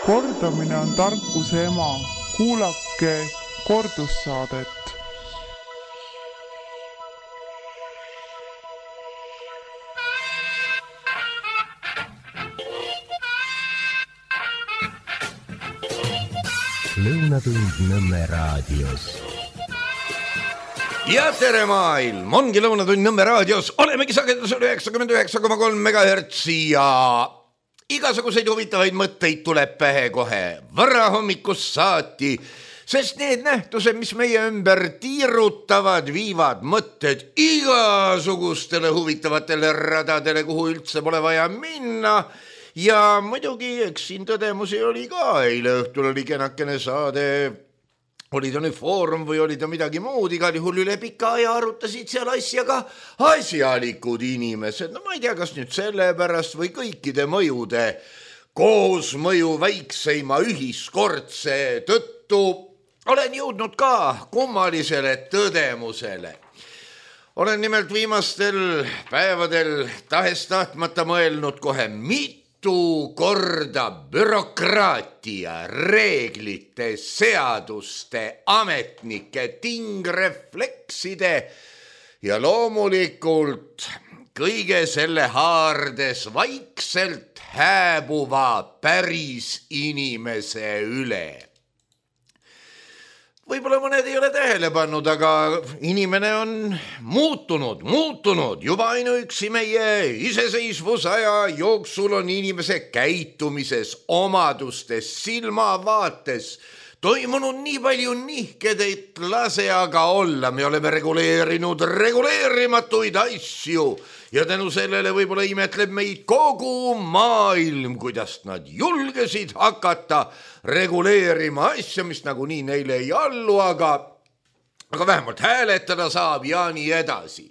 Kordamine on tarkuse ema. Kuulake kordussaadet. Lõunatund Nõmme raadios. Ja tere maailm, ongi Lõunatund Nõmme raadios, olemegi sagedusel 99,3 MHz ja igasuguseid huvitavaid mõtteid tuleb pähe kohe varahommikust saati, sest need nähtused, mis meie ümber tiirutavad, viivad mõtted igasugustele huvitavatele radadele, kuhu üldse pole vaja minna. Ja muidugi, eks siin tõdemusi oli ka, eile õhtul oli kenakene saade, oli ta nüüd foorum või oli ta midagi muud, igal juhul üle pika aja arutasid seal asjaga asjalikud inimesed. No ma ei tea, kas nüüd sellepärast või kõikide mõjude koosmõju väikseima ühiskordse tõttu olen jõudnud ka kummalisele tõdemusele. Olen nimelt viimastel päevadel tahes-tahtmata mõelnud kohe mitu korda bürokraatia, reeglite, seaduste, ametnike, tingreflekside ja loomulikult kõige selle haardes vaikselt hääbuva päris inimese üle. Võib-olla mõned ei ole tähele pannud, aga inimene on muutunud. Juba ainuüksi meie iseseisvusaja jooksul on inimese käitumises, omadustes, silmavaates toimunud nii palju nihked, et lase aga olla. Me oleme reguleerinud reguleerimatuid asju ja tänu sellele võib-olla imetleb meid kogu maailm, kuidas nad julgesid hakata reguleerima asja, mis nagunii neile ei allu, aga vähemalt hääletada saab ja nii edasi.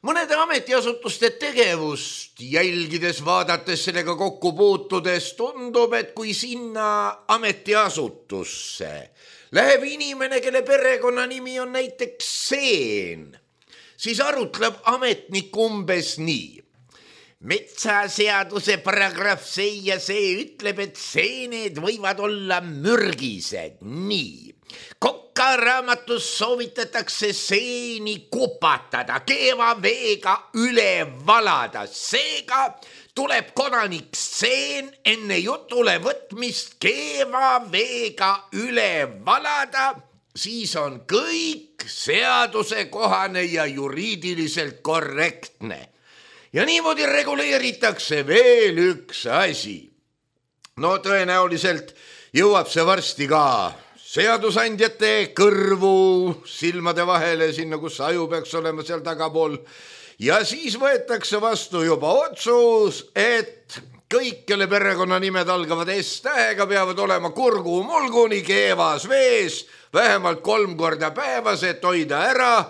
Mõnede ametiasutuste tegevust jälgides, vaadates sellega kokku puutudes, tundub, et kui sinna ametiasutusse läheb inimene, kelle perekonna nimi on näiteks Seen, siis arutleb ametnik umbes nii. Metsaseaduse paragrahv see ja see ütleb, et seened võivad olla mürgised. Nii. Kokaraamatus soovitatakse seeni kupatada, keeva veega üle valada. Seega tuleb kodanik Seen enne jutule võtmist keeva veega üle valada, siis on kõik seadusekohane ja juriidiliselt korrektne. Ja niimoodi reguleeritakse veel üks asi. No tõenäoliselt jõuab see varsti ka seadusandjate kõrvu, silmade vahele, sinna kus aju peaks olema seal tagapool. Ja siis võetakse vastu juba otsus, et kõik, kelle perekonnanimed algavad S-tähega, peavad olema kurgu-mulguni keevas vees, vähemalt 3 korda päevas, et hoida ära,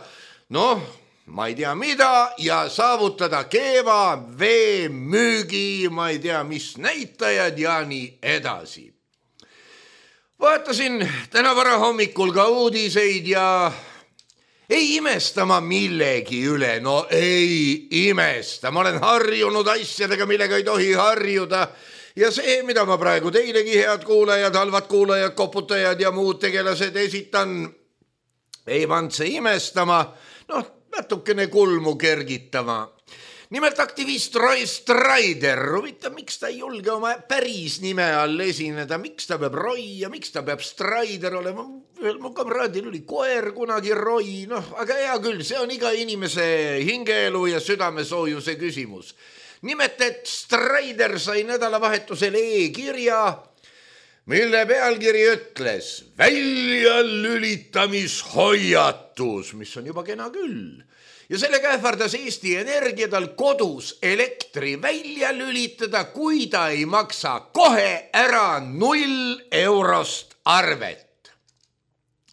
ma ei tea mida, ja saavutada keeva, vee, müügi, ma ei tea mis näitajad ja nii edasi. Vaatasin täna varahommikul ka uudiseid ja ei imesta ma millegi üle, ei imesta. Ma olen harjunud asjadega, millega ei tohi harjuda. Ja see, mida ma praegu teilegi, head kuulajad, halvad kuulajad, koputajad ja muud tegelased esitan, ei pannud see imestama, natukene kulmu kergitama. Nimelt aktivist Roy Strider, miks ta ei julge oma päris nime all esineda, miks ta peab Roy ja miks ta peab Strider olema. Mu kamraadil oli koer kunagi Roy, aga hea küll, see on iga inimese hingeelu ja südamesoojuse küsimus. Nimelt, et Strider sai nädalavahetusel e-kirja, mille pealkiri ütles väljalülitamishoiatus, mis on juba kena küll. Ja sellega ähvardas Eesti Energia tal kodus elektri välja lülitada, kui ta ei maksa kohe ära 0 eurost arvet.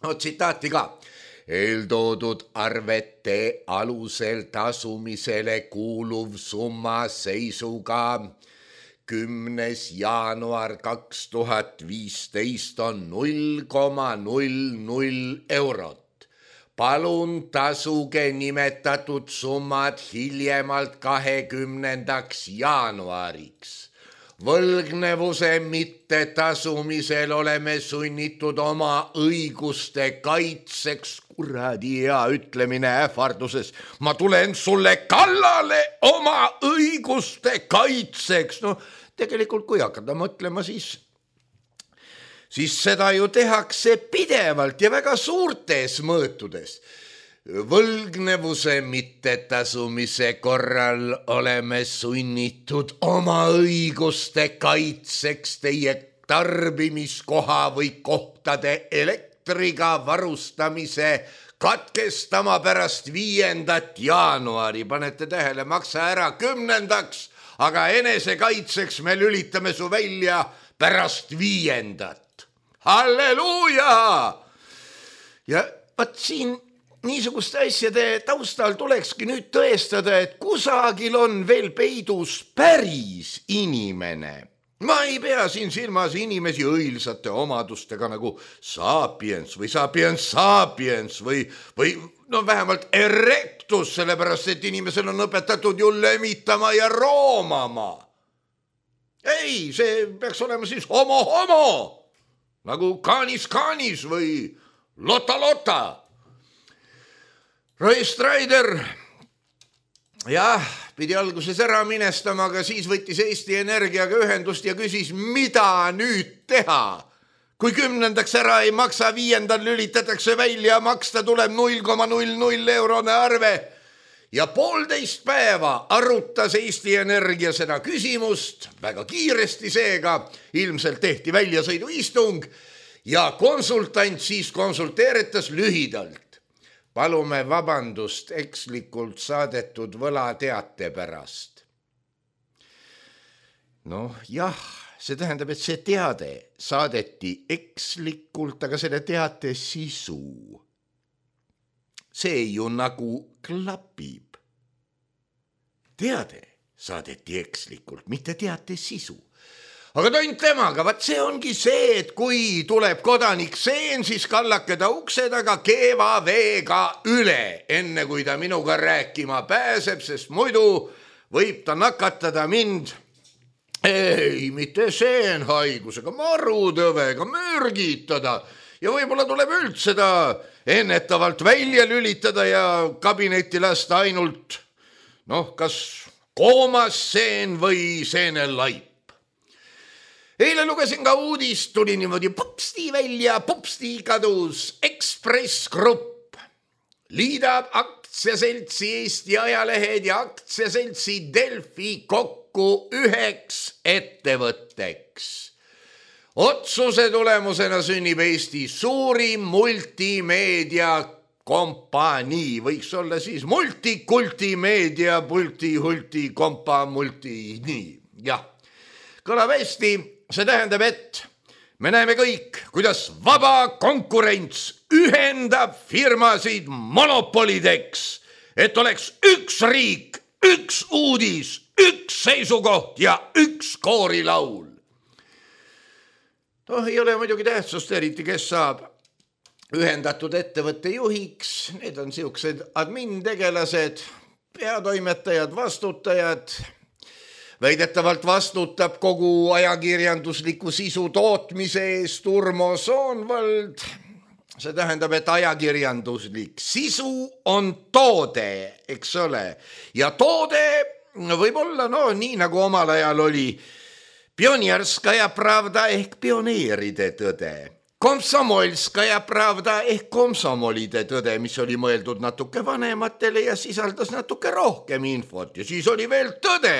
Tsitaati ka. Eeltoodud arvete alusel tasumisele kuuluv summa seisuga 10. jaanuar 2015 on 0,00 eurot. Palun tasuge nimetatud summad hiljemalt 20. jaanuariks. võlgnevuse mittetasumisel oleme sunnitud oma õiguste kaitseks, kuradi hea ütlemine ähvarduses, ma tulen sulle kallale oma õiguste kaitseks. No tegelikult kui hakata mõtlema, siis seda ju tehakse pidevalt ja väga suurtes mõõtudes. Võlgnevuse mittetasumise korral oleme sunnitud oma õiguste kaitseks teie tarbimiskoha või kohtade elektriga varustamise katkestama pärast 5. jaanuari. Panete tähele, maksa ära 10. aga enesekaitseks me lülitame su välja pärast 5. Halleluuja! Ja vaat siin niisuguste asjade taustal tulekski nüüd tõestada, et kusagil on veel peidus päris inimene. Ma ei pea siin silmas inimesi õilsate omadustega nagu sapiens või sapiens või no vähemalt erectus, sellepärast et inimesel on õpetatud ju lemitama ja roomama. Ei, see peaks olema siis homo, nagu kaanis või lota. Roy Strider, jah, pidi alguses ära minestama, aga siis võttis Eesti Energiaga ühendust ja küsis, mida nüüd teha. Kui 10. ära ei maksa, 5. lülitatakse välja, maksta tuleb 0,00 eurone arve. Ja 1,5 päeva arutas Eesti Energia seda küsimust, väga kiiresti seega, ilmselt tehti väljasõiduistung ja konsultant siis konsulteeritas lühidalt. Palume vabandust ekslikult saadetud võlateate pärast. Noh, jah, see tähendab, et see teade saadeti ekslikult, aga selle teate sisu. See ju nagu klapib. Teade saadeti ekslikult, mitte teate sisu. Aga tont temaga, vaat see ongi see, et kui tuleb kodanik Seen, siis kallake ta ukse taga keeva veega üle, enne kui ta minuga rääkima pääseb, sest muidu võib ta nakatada mind, ei, mitte seenhaigusega, marutõvega, mürgitada ja võib-olla tuleb üldse ta ennetavalt välja lülitada ja kabinetti lasta ainult, kas koomas seen või seenelaip. Eile lugesin ka uudist, tuli niimoodi popsti välja, popsti kadus Ekspress Grupp. Liidab aktsiaseltsi Eesti Ajalehed ja aktsiaseltsi Delfi kokku 1 ettevõtteks. Otsuse tulemusena sünnib Eesti suurim multimeedia kompanii, võiks olla siis multikultimeedia, multihulti, kompa, nii, jah. Kõlab hästi. See tähendab, et me näeme kõik, kuidas vaba konkurents ühendab firmasid monopolideks, et oleks üks riik, üks uudis, üks seisukoht ja üks koorilaul. Ei ole muidugi tähtsust eriti, kes saab ühendatud ettevõtte juhiks. Need on siuksed admin-tegelased, peatoimetajad, vastutajad. Väidetavalt vastutab kogu ajakirjandusliku sisu tootmise eest Urmo Soonvald. See tähendab, et ajakirjanduslik sisu on toode, eks ole. Ja toode võib olla, nii nagu omal ajal oli Pionierskaja pravda ehk pioneeride tõde. Komsomolskaja pravda ehk komsomolide tõde, mis oli mõeldud natuke vanematele ja sisaldas natuke rohkem infot. Ja siis oli veel tõde,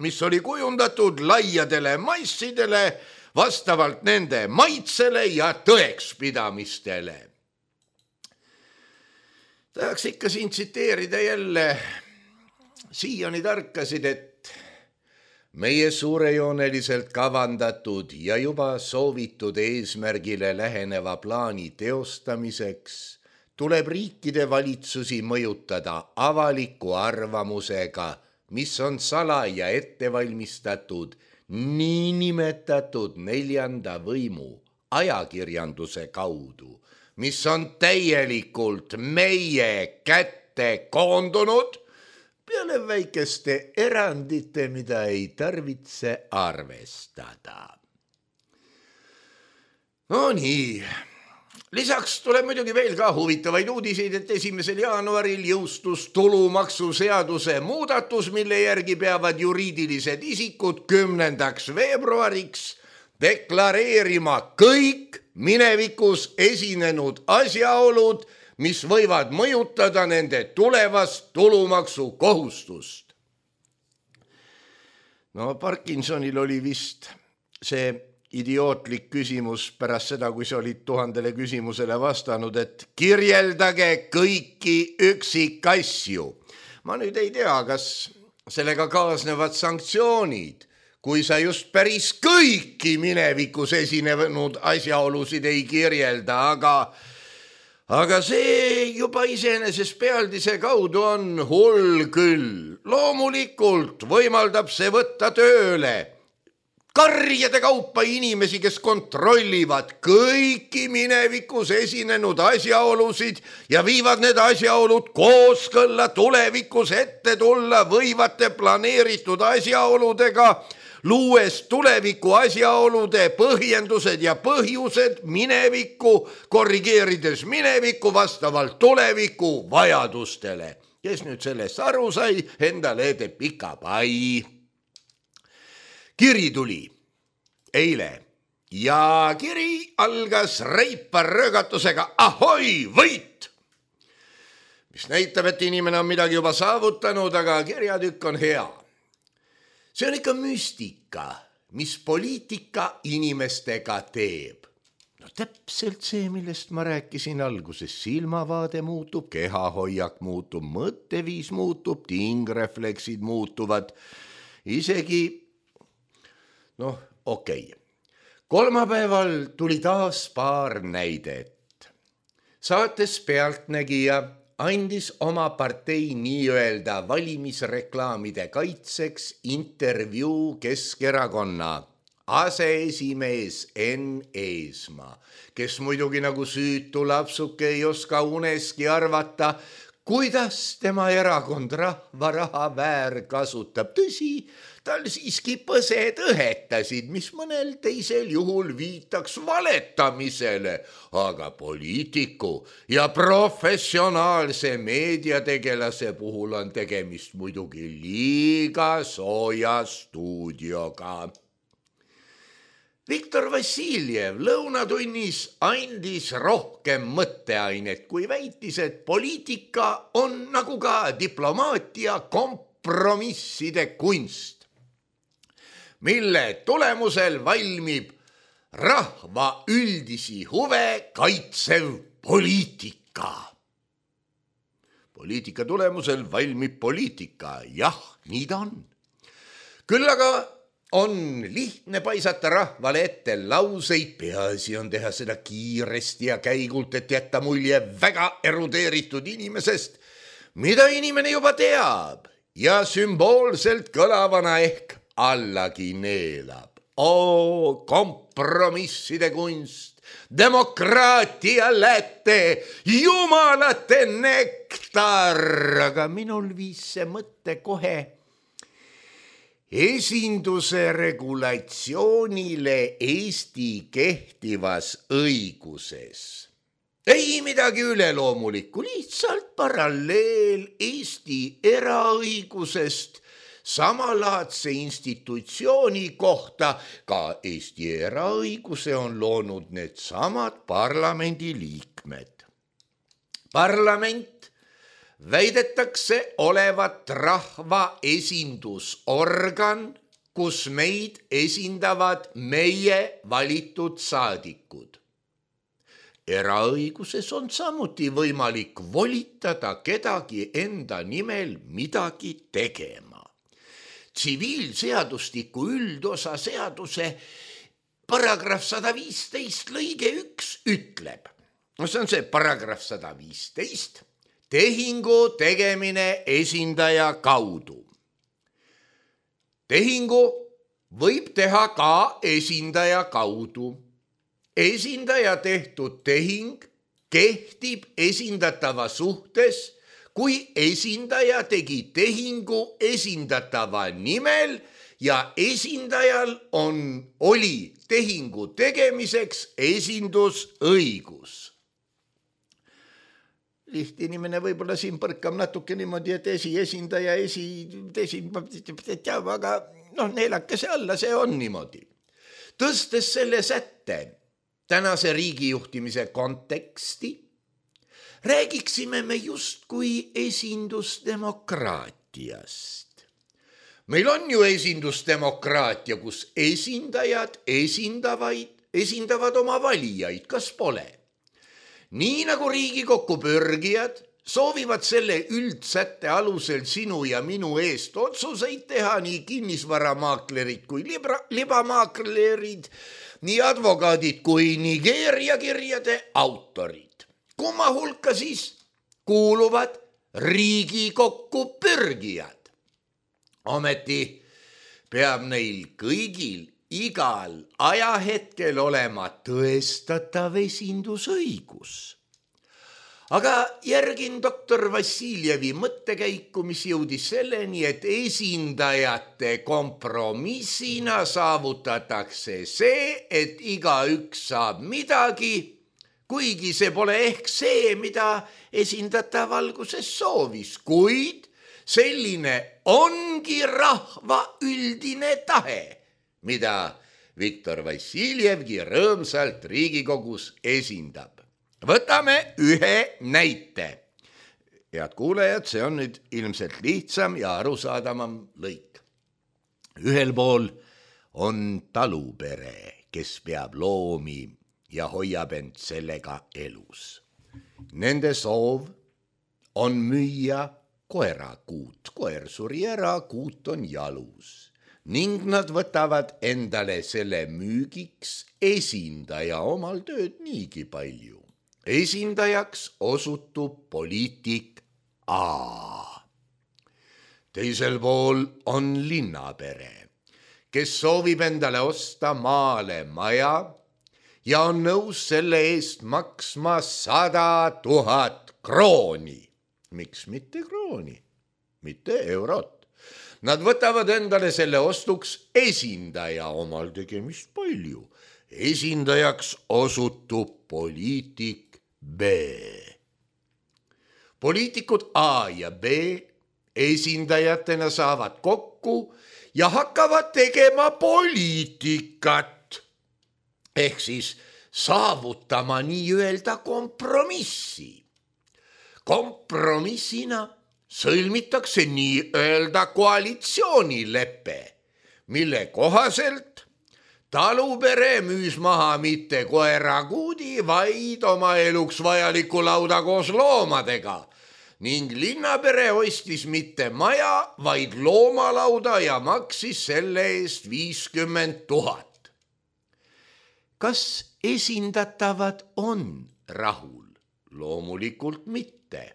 mis oli kujundatud laiadele massidele vastavalt nende maitsele ja tõekspidamistele. Tahaks ikka siin tsiteerida jälle siiani tarkasid, et meie suurejooneliselt kavandatud ja juba soovitud eesmärgile läheneva plaani teostamiseks tuleb riikide valitsusi mõjutada avaliku arvamusega, mis on salaja ettevalmistatud niinimetatud 4. võimu ajakirjanduse kaudu, mis on täielikult meie kätte koondunud, peale väikeste erandite, mida ei tarvitse arvestada. No nii. Lisaks tuleb muidugi veel ka huvitavaid uudiseid, et 1. jaanuaril jõustus tulumaksuseaduse muudatus, mille järgi peavad juriidilised isikud 10. veebruariks deklareerima kõik minevikus esinenud asjaolud, mis võivad mõjutada nende tulevast tulumaksukohustust. No Parkinsonil oli vist see idiootlik küsimus pärast seda, kui sa olid 1000 küsimusele vastanud, et kirjeldage kõiki üksikasju. Ma nüüd ei tea, kas sellega kaasnevad sanktsioonid, kui sa just päris kõiki minevikus esinenud asjaolusid ei kirjelda, aga see juba iseenesest pealdise kaudu on hull küll. Loomulikult võimaldab see võtta tööle karjade kaupa inimesi, kes kontrollivad kõiki minevikus esinenud asjaolusid ja viivad need asjaolud kooskõlla tulevikus ette tulla võivate planeeritud asjaoludega, luues tuleviku asjaolude põhjendused ja põhjused minevikku, korrigeerides minevikku vastavalt tuleviku vajadustele. Kes nüüd sellest aru sai, endale teeb pika pai. Kiri tuli eile ja kiri algas reipa röögatusega ahoi, võit! Mis näitab, et inimene on midagi juba saavutanud, aga kirjatükk on hea. See on ikka müstika, mis poliitika inimestega teeb. No täpselt see, millest ma rääkisin alguses. Silmavaade muutub, kehahoiak muutub, mõtteviis muutub, tingrefleksid muutuvad, isegi okei. Kolmapäeval tuli taas paar näidet. Saates Pealtnägija andis oma partei nii-öelda valimisreklaamide kaitseks intervjuu Keskerakonna aseesimees Enn Eesmaa, kes muidugi nagu süütu lapsuke ei oska uneski arvata, kuidas tema erakond rahvaraha väärkasutab. Tõsi, tal siiski põsed õhetasid, mis mõnel teisel juhul viitaks valetamisele, aga poliitiku ja professionaalse meediategelase puhul on tegemist muidugi liiga sooja stuudioga. Viktor Vassiljev lõunatunnis andis rohkem mõtteainet, kui väitis, et poliitika on nagu ka diplomaatia kompromisside kunst, mille tulemusel valmib rahva üldisi huve kaitsev poliitika. Poliitika tulemusel valmib poliitika, jah, nii ta on. Küll aga on lihtne paisata rahvale ette lauseid, peaasi on teha seda kiiresti ja käigult, et jätta mulje väga erudeeritud inimesest, mida inimene juba teab ja sümboolselt kõlavana ehk allagi neelab. Kompromisside kunst, demokraatia läte, jumalate nektar, aga minul viis see mõte kohe esinduse regulatsioonile Eesti kehtivas õiguses. Ei midagi üleloomulikku, lihtsalt paralleel Eesti eraõigusest samalaadse institutsiooni kohta. Ka Eesti eraõiguse on loonud need samad parlamendi liikmed. Parlament väidetakse olevat rahva esindusorgan, kus meid esindavad meie valitud saadikud. Eraõiguses on samuti võimalik volitada kedagi enda nimel midagi tegema. Tsiviilseadustiku üldosa seaduse paragrahv 115 lõige 1 ütleb, see on see paragrahv 115, tehingu tegemine esindaja kaudu. Tehingu võib teha ka esindaja kaudu. Esindaja tehtud tehing kehtib esindatava suhtes, kui esindaja tegi tehingu esindatava nimel ja esindajal oli tehingu tegemiseks esindusõigus. Lihti inimene võib-olla siin põrkab natuke niimoodi, et esindaja, aga neelake see alla, see on niimoodi. Tõstes selle sätte tänase riigijuhtimise konteksti, räägiksime me justkui esindusdemokraatiast. Meil on ju esindusdemokraatia, kus esindajad esindavad oma valijaid, kas pole? Nii nagu Riigikokku pürgijad soovivad selle üldsätte alusel sinu ja minu eest otsuseid teha nii kinnisvaramaaklerid kui libamaaklerid, nii advokaadid kui Nigeeria kirjade autorid. Kumma hulka siis kuuluvad Riigikokku pürgijad. Ometi peab neil kõigil igal ajahetkel olema tõestatav esindusõigus. Aga järgin doktor Vassiljevi mõttekäiku, mis jõudis selleni, et esindajate kompromissina saavutatakse see, et igaüks saab midagi, kuigi see pole ehk see, mida esindatav alguses soovis, kuid selline ongi rahva üldine tahe, mida Viktor Vassiljevgi rõõmsalt Riigikogus esindab. Võtame ühe näite. Head kuulajad, see on nüüd ilmselt lihtsam ja arusaadavam lõik. Ühel pool on talupere, kes peab loomi ja hoiab end sellega elus. Nende soov on müüa koerakuut. Koer suri ära, kuut on jalus. Ning nad võtavad endale selle müügiks esindaja, omal tööd niigi palju. Esindajaks osutub poliitik A. Teisel pool on linnapere, kes soovib endale osta maale maja ja on nõus selle eest maksma 100 000 krooni. Miks mitte krooni, mitte eurot? Nad võtavad endale selle ostuks esindaja, omal tegemist palju. Esindajaks osutub poliitik B. Poliitikud A ja B esindajatena saavad kokku ja hakkavad tegema poliitikat. Ehk siis saavutama nii-öelda kompromissi. Kompromissina sõlmitakse nii-öelda koalitsioonilepe, mille kohaselt talupere müüs maha mitte koerakuudi, vaid oma eluks vajaliku lauda koos loomadega ning linnapere ostis mitte maja, vaid loomalauda ja maksis selle eest 50 000. Kas esindatavad on rahul? Loomulikult mitte.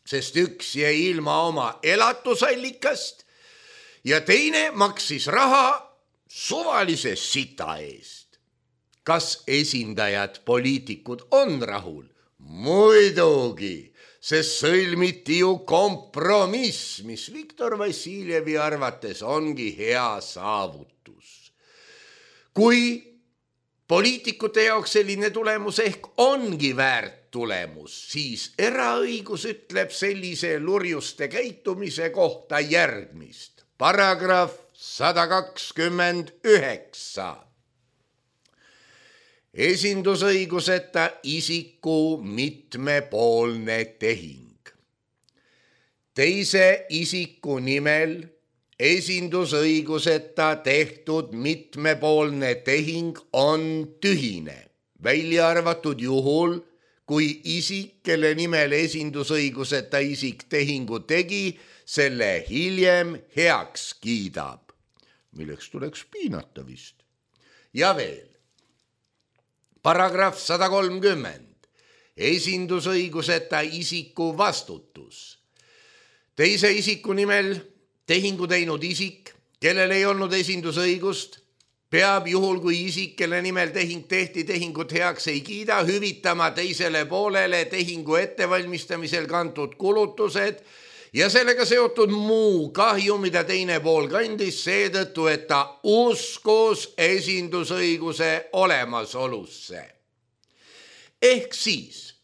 Sest üks jäi ilma oma elatusallikast ja teine maksis raha suvalise sita eest. Kas esindajad, poliitikud on rahul? Muidugi, sest sõlmiti ju kompromiss, mis Viktor Vassiljevi arvates ongi hea saavutus. Kui poliitikute jaoks selline tulemus ehk ongi väärt tulemus, siis eraõigus ütleb sellise lurjuste käitumise kohta järgmist. Paragrahv 129. Esindusõiguseta isiku mitmepoolne tehing. Teise isiku nimel esindusõiguseta tehtud mitmepoolne tehing on tühine, välja arvatud juhul, kui isik, kelle nimel esindusõiguseta isik tehingu tegi, selle hiljem heaks kiidab, milleks tuleks piinata vist. Ja veel, paragrahv 130, esindusõiguseta isiku vastutus. Teise isiku nimel tehingu teinud isik, kellel ei olnud esindusõigust, peab juhul, kui isik, kelle nimel tehing tehti, tehingut heaks ei kiida, hüvitama teisele poolele tehingu ettevalmistamisel kantud kulutused ja sellega seotud muu kahju, mida teine pool kandis seetõttu, et ta uskus esindusõiguse olemasolusse. Ehk siis,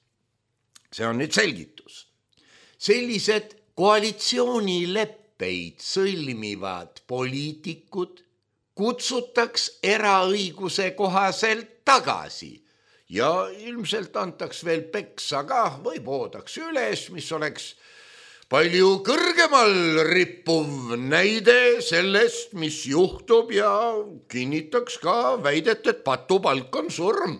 see on nüüd selgitus, sellised koalitsioonileppeid sõlmivad poliitikud kutsutaks eraõiguse kohaselt tagasi ja ilmselt antaks veel peksa ka või poodaks üles, mis oleks palju kõrgemal rippuv näide sellest, mis juhtub ja kinnitaks ka väidet, et patupalk on surm.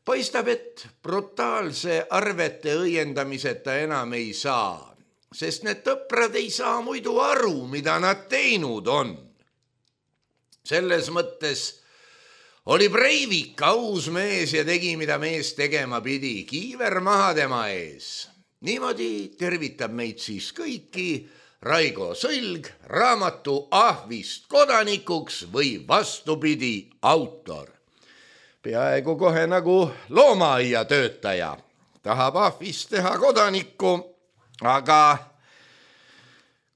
Paistab, et brutaalse arvete õiendamiseta enam ei saa, sest need tõprad ei saa muidu aru, mida nad teinud on. Selles mõttes oli Breivik aus mees ja tegi, mida mees tegema pidi, kiiver maha tema ees. Niimoodi tervitab meid siis kõiki Raigo Sõlg, raamatu Ahvist kodanikuks või vastupidi autor. Peaaegu kohe nagu loomaaia töötaja. Tahab Ahvist teha kodanikku, aga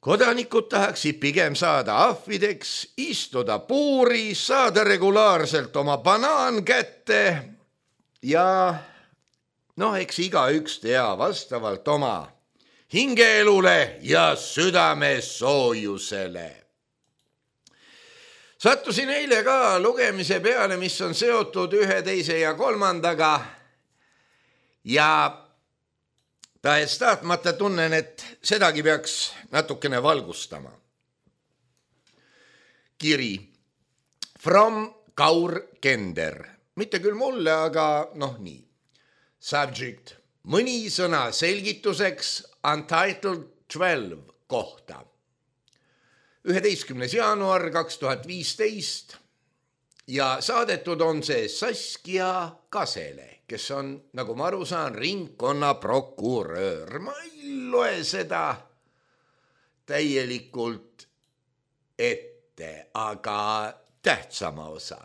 kodanikud tahaksid pigem saada ahvideks, istuda puuri, saada regulaarselt oma banaan kätte ja eks igaüks tea vastavalt oma hingeelule ja südamesoojusele. Sattusin eile ka lugemise peale, mis on seotud 1, 2 ja 3 ja tahes tahtmata tunnen, et sedagi peaks natukene valgustama. Kiri from Kaur Kender. Mitte küll mulle, aga nii. Subject. Mõni sõna selgituseks Untitled 12 kohta. 11. jaanuar 2015 ja saadetud on see Saskia Kasele, kes on, nagu ma aru saan, ringkonnaprokurör. Ma ei loe seda täielikult ette, aga tähtsama osa.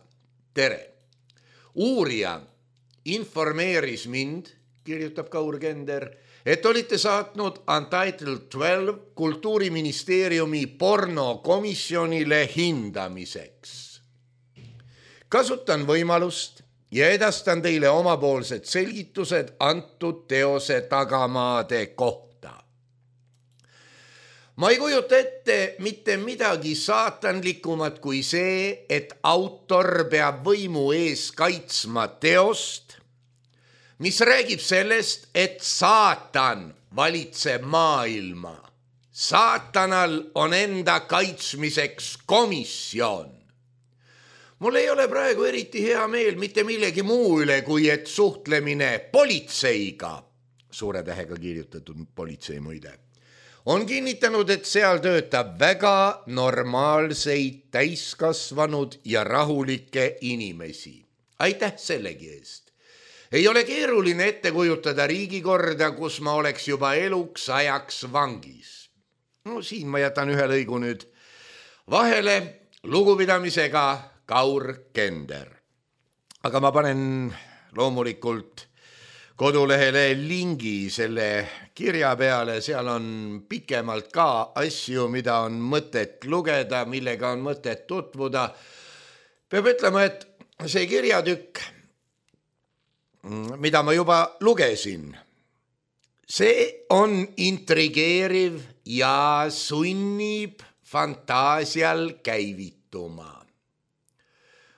Tere! Uurija informeeris mind, kirjutab Kaur Kender, et olite saatnud Untitled 12 Kultuuriministeeriumi pornokomisjonile hindamiseks. Kasutan võimalust ja edastan teile omapoolsed selgitused antud teose tagamaade kohta. Ma ei kujuta ette mitte midagi saatanlikumat kui see, et autor peab võimu ees kaitsma teost, mis räägib sellest, et saatan valitseb maailma. Saatanal on enda kaitsmiseks komisjon. Mul ei ole praegu eriti hea meel mitte millegi muu üle, kui et suhtlemine politseiga, suure tähega kirjutatud politsei muide, on kinnitanud, et seal töötab väga normaalseid, täiskasvanud ja rahulikke inimesi. Aitäh sellegi eest. Ei ole keeruline ette kujutada riigikorda, kus ma oleks juba eluks ajaks vangis. Siin ma jätan ühe lõigu nüüd vahele lugupidamisega Kaur Kender. Aga ma panen loomulikult kodulehele lingi selle kirja peale, seal on pikemalt ka asju, mida on mõtet lugeda, millega on mõtet tutvuda. Peab ütlema, et see kirjatükk, mida ma juba lugesin, see on intrigeeriv ja sunnib fantaasial käivituma.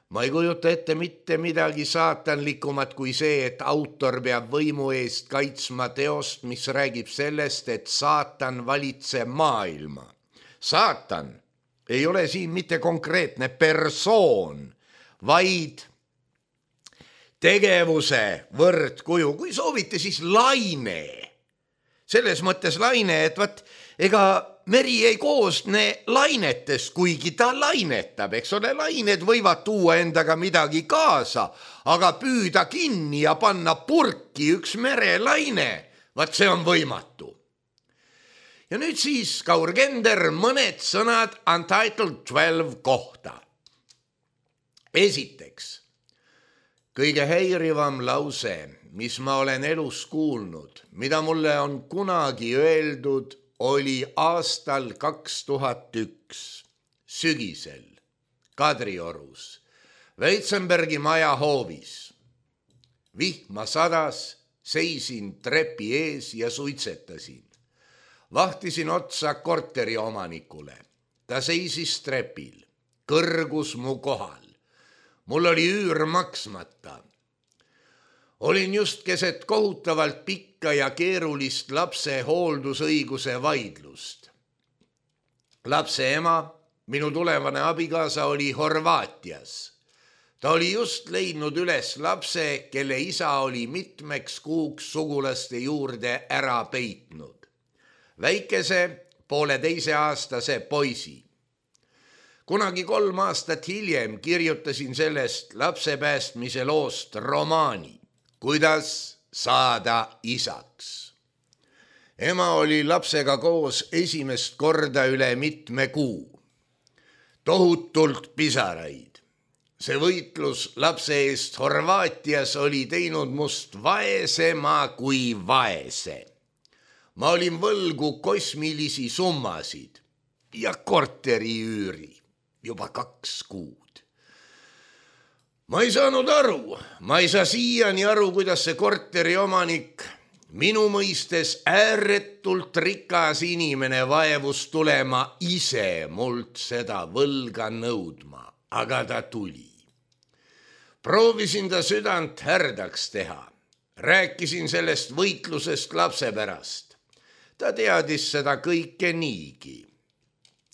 Ma ei kujuta ette mitte midagi saatanlikumat kui see, et autor peab võimu eest kaitsma teost, mis räägib sellest, et saatan valitseb maailma. Saatan ei ole siin mitte konkreetne persoon, vaid tegevuse võrdkuju, kui soovite, siis laine. Selles mõttes laine, et ega meri ei koosne lainetest, kuigi ta lainetab, eks ole, lained võivad tuua endaga midagi kaasa, aga püüda kinni ja panna purki üks merelaine, see on võimatu. Ja nüüd siis, Kaur Kender, mõned sõnad Untitled 12 kohta. Esiteks, kõige häirivam lause, mis ma olen elus kuulnud, mida mulle on kunagi öeldud, oli aastal 2001 sügisel Kadriorus Veitsenbergi maja hoovis. Vihma sadas, seisin trepi ees ja suitsetasin. Vahtisin otsa korteri omanikule. Ta seisis trepil, kõrgus mu kohal. Mul oli üür maksmata. Olin just keset kohutavalt pikka ja keerulist lapse hooldusõiguse vaidlust. Lapse ema, minu tulevane abikaasa, oli Horvaatias. Ta oli just leidnud üles lapse, kelle isa oli mitmeks kuuks sugulaste juurde ära peitnud. Väikese 1,5-aastase poisi. Kunagi 3 aastat hiljem kirjutasin sellest lapse päästmise loost romaani, kuidas saada isaks. Ema oli lapsega koos esimest korda üle mitme kuu. Tohutult pisaraid. See võitlus lapse eest Horvaatias oli teinud must vaesema kui vaese. Ma olin võlgu kosmilisi summasid ja korteriüüri juba 2 kuud. Ma ei saanud aru, ma ei saa siiani aru, kuidas see korteri omanik, minu mõistes ääretult rikas inimene, vaevus tulema ise mult seda võlga nõudma, aga ta tuli. Proovisin ta südant härdaks teha. Rääkisin sellest võitlusest lapse pärast. Ta teadis seda kõike niigi.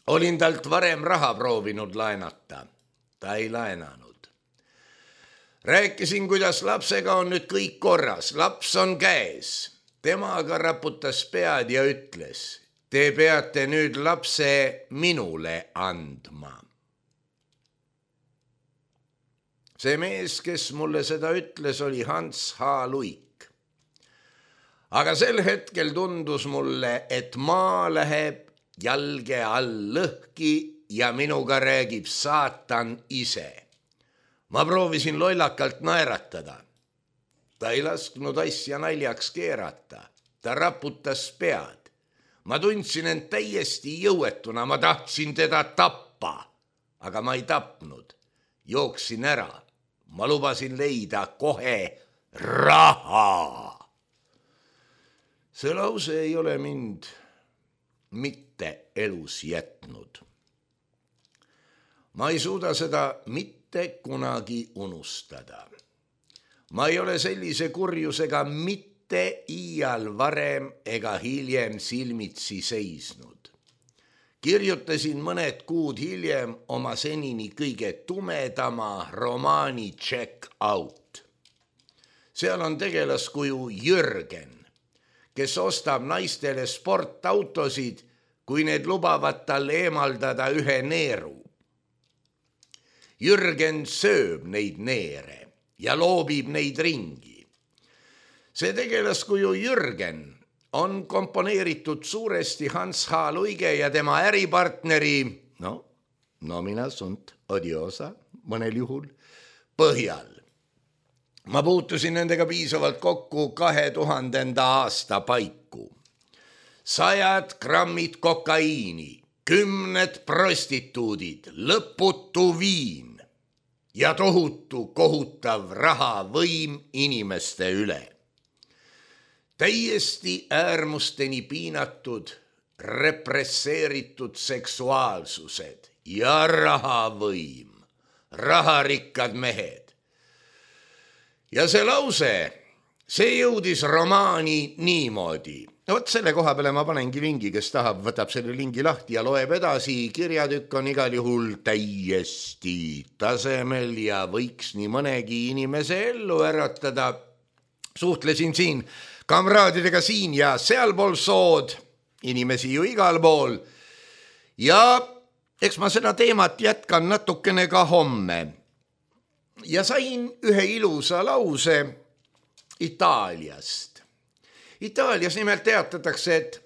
Olin talt varem raha proovinud laenata. Ta ei laenanud. Rääkisin, kuidas lapsega on nüüd kõik korras. Laps on käes. Tema aga raputas pead ja ütles, te peate nüüd lapse minule andma. See mees, kes mulle seda ütles, oli Hans H. Luik. Aga sel hetkel tundus mulle, et maa läheb jalge all lõhki ja minuga räägib saatan ise. Ma proovisin lollakalt naeratada. Ta ei lasknud asja naljaks keerata. Ta raputas pead. Ma tundsin end täiesti jõuetuna. Ma tahtsin teda tappa, aga ma ei tapnud. Jooksin ära. Ma lubasin leida kohe raha. See lause ei ole mind mitte elus jätnud. Ma ei suuda seda mitte kunagi unustada. Ma ei ole sellise kurjusega mitte iial varem ega hiljem silmitsi seisnud. Kirjutasin mõned kuud hiljem oma senini kõige tumedama romaani Check Out. Seal on tegelaskuju Jürgen, kes ostab naistele sportautosid, kui need lubavad tal eemaldada ühe neeru. Jürgen sööb neid neere ja loobib neid ringi. See tegelaskuju Jürgen on komponeeritud suuresti Hans H. Luige ja tema äripartneri, nomina sunt odiosa mõnel juhul, põhjal. Ma puutusin nendega piisavalt kokku 2000. aasta paiku. 100 grammid kokaiini, 10 prostituudid, lõputu viin ja tohutu kohutav rahavõim inimeste üle. Täiesti äärmusteni piinatud, represseeritud seksuaalsused ja rahavõim, raharikkad mehed. Ja see lause, see jõudis romaani niimoodi. Vot selle koha peale ma panengi lingi, kes tahab, võtab selle lingi lahti ja loeb edasi. Kirjatükk on igal juhul täiesti tasemel ja võiks nii mõnegi inimese ellu äratada. Suhtlesin siin kamraadidega siin ja sealpool sood, inimesi ju igal pool. Ja eks ma seda teemat jätkan natukene ka homme. Ja sain ühe ilusa lause Itaaliast. Itaalias nimelt teatatakse, et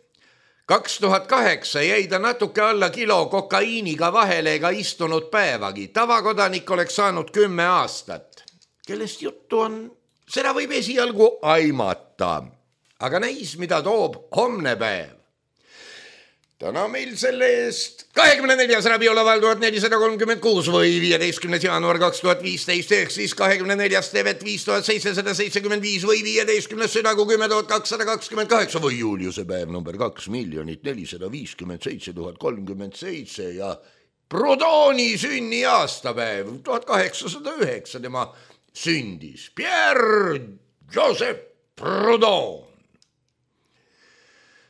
2008 jäi ta natuke alla kilo kokaiiniga vahele ega istunud päevagi. Tavakodanik oleks saanud 10 aastat. Kellest juttu on, seda võib esialgu aimata. Aga näis, mida toob homne päev. Täna meil selle eest 24. rabioolaval 1436 või 15. jaanuar 2015 ehk siis 24. tevet 5775 või 15. südagu 10228 või Juliuse päev number 2 457 037 ja Proudhoni sünni aastapäev 1809 tema sündis. Pierre Joseph Proudhon.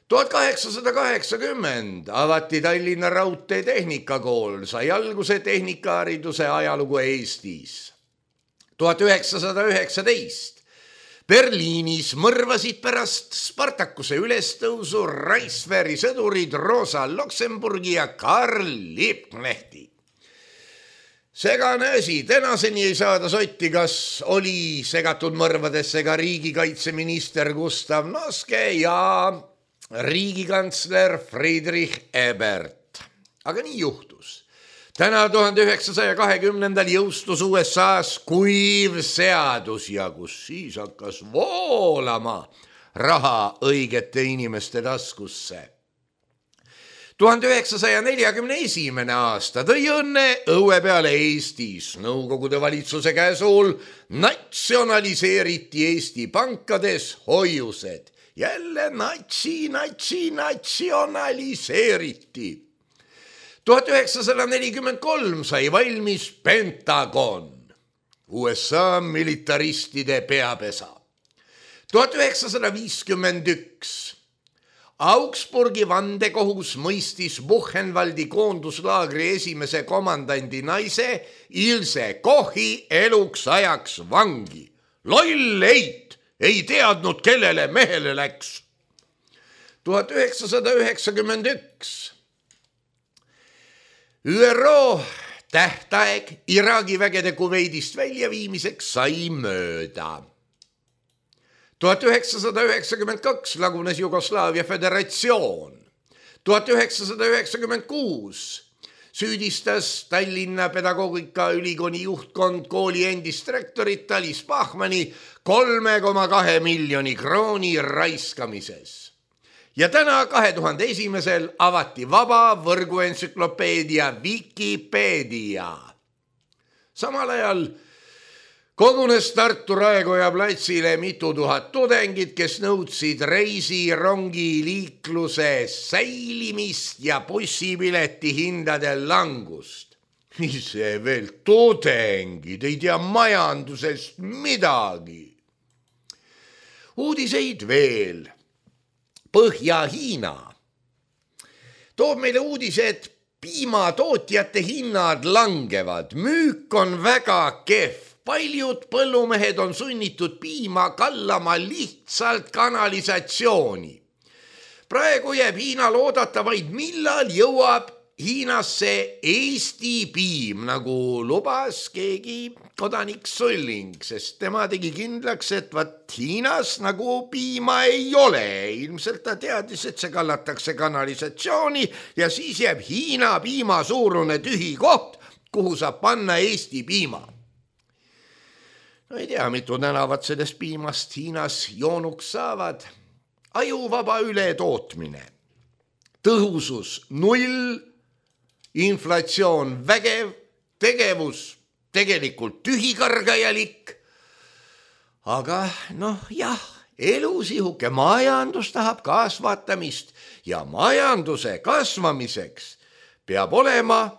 1880 avati Tallinna Raudtee Tehnikakool, sai alguse tehnikahariduse ajalugu Eestis. 1919 Berliinis mõrvasid pärast Spartakuse ülestõusu Reichswehri sõdurid Rosa Luxemburgi ja Karl Liebknechti. Segane asi, tänaseni ei saada sotti, kas oli segatud mõrvadesse ka riigikaitseminister Gustav Noske ja riigikantsler Friedrich Ebert. Aga nii juhtus. Täna 1920. jõustus USA-s kuiv seadus ja kus siis hakkas voolama raha õigete inimeste taskusse. 1941. aasta tõi õnne õue peale Eestis. Nõukogude valitsuse käsul natsionaliseeriti Eesti pankades hoiused. Jälle natsionaliseeriti. 1943 sai valmis Pentagon, USA militaristide peapesa. 1951 Augsburgi vandekohus mõistis Buchenwaldi koonduslaagri esimese komandandi naise Ilse Kochi eluks ajaks vangi. Loll eit! Ei teadnud, kellele mehele läks. 1991 ÜRO tähtaeg Iraagi vägede Kuveidist väljaviimiseks sai mööda. 1992 lagunes Jugoslaavia föderatsioon. 1996 süüdistas Tallinna Pedagoogikaülikooli juhtkond kooli endist rektorit Alice Bachmanni 3,2 miljoni krooni raiskamises. Ja täna 2001. avati vaba võrguentsüklopeedia Wikipedia. Samal ajal kogunes Tartu Raekoja platsile mitu tuhat tudengit, kes nõudsid reisirongi liikluse säilimist ja bussipileti hindade langust. Ise veel tudengid, ei tea majandusest midagi. Uudiseid veel. Põhja-Hiina toob meile uudised, piimatootjate hinnad langevad, müük on väga kehv. Paljud põllumehed on sunnitud piima kallama lihtsalt kanalisatsiooni. Praegu jääb Hiinal oodata vaid, millal jõuab Hiinasse Eesti piim, nagu lubas keegi kodanik Sulling, sest tema tegi kindlaks, et Hiinas nagu piima ei ole. Ilmselt ta teadis, et see kallatakse kanalisatsiooni ja siis jääb Hiina piima suurune tühi koht, kuhu saab panna Eesti piima. No ei tea, mitu tänavat sellest piimast Hiinas joonuks saavad. Ajuvaba ületootmine. Tõhusus 0, inflatsioon vägev, tegevus tegelikult tühikargajalik. Aga jah, elusihuke majandus tahab kasvatamist ja majanduse kasvamiseks peab olema,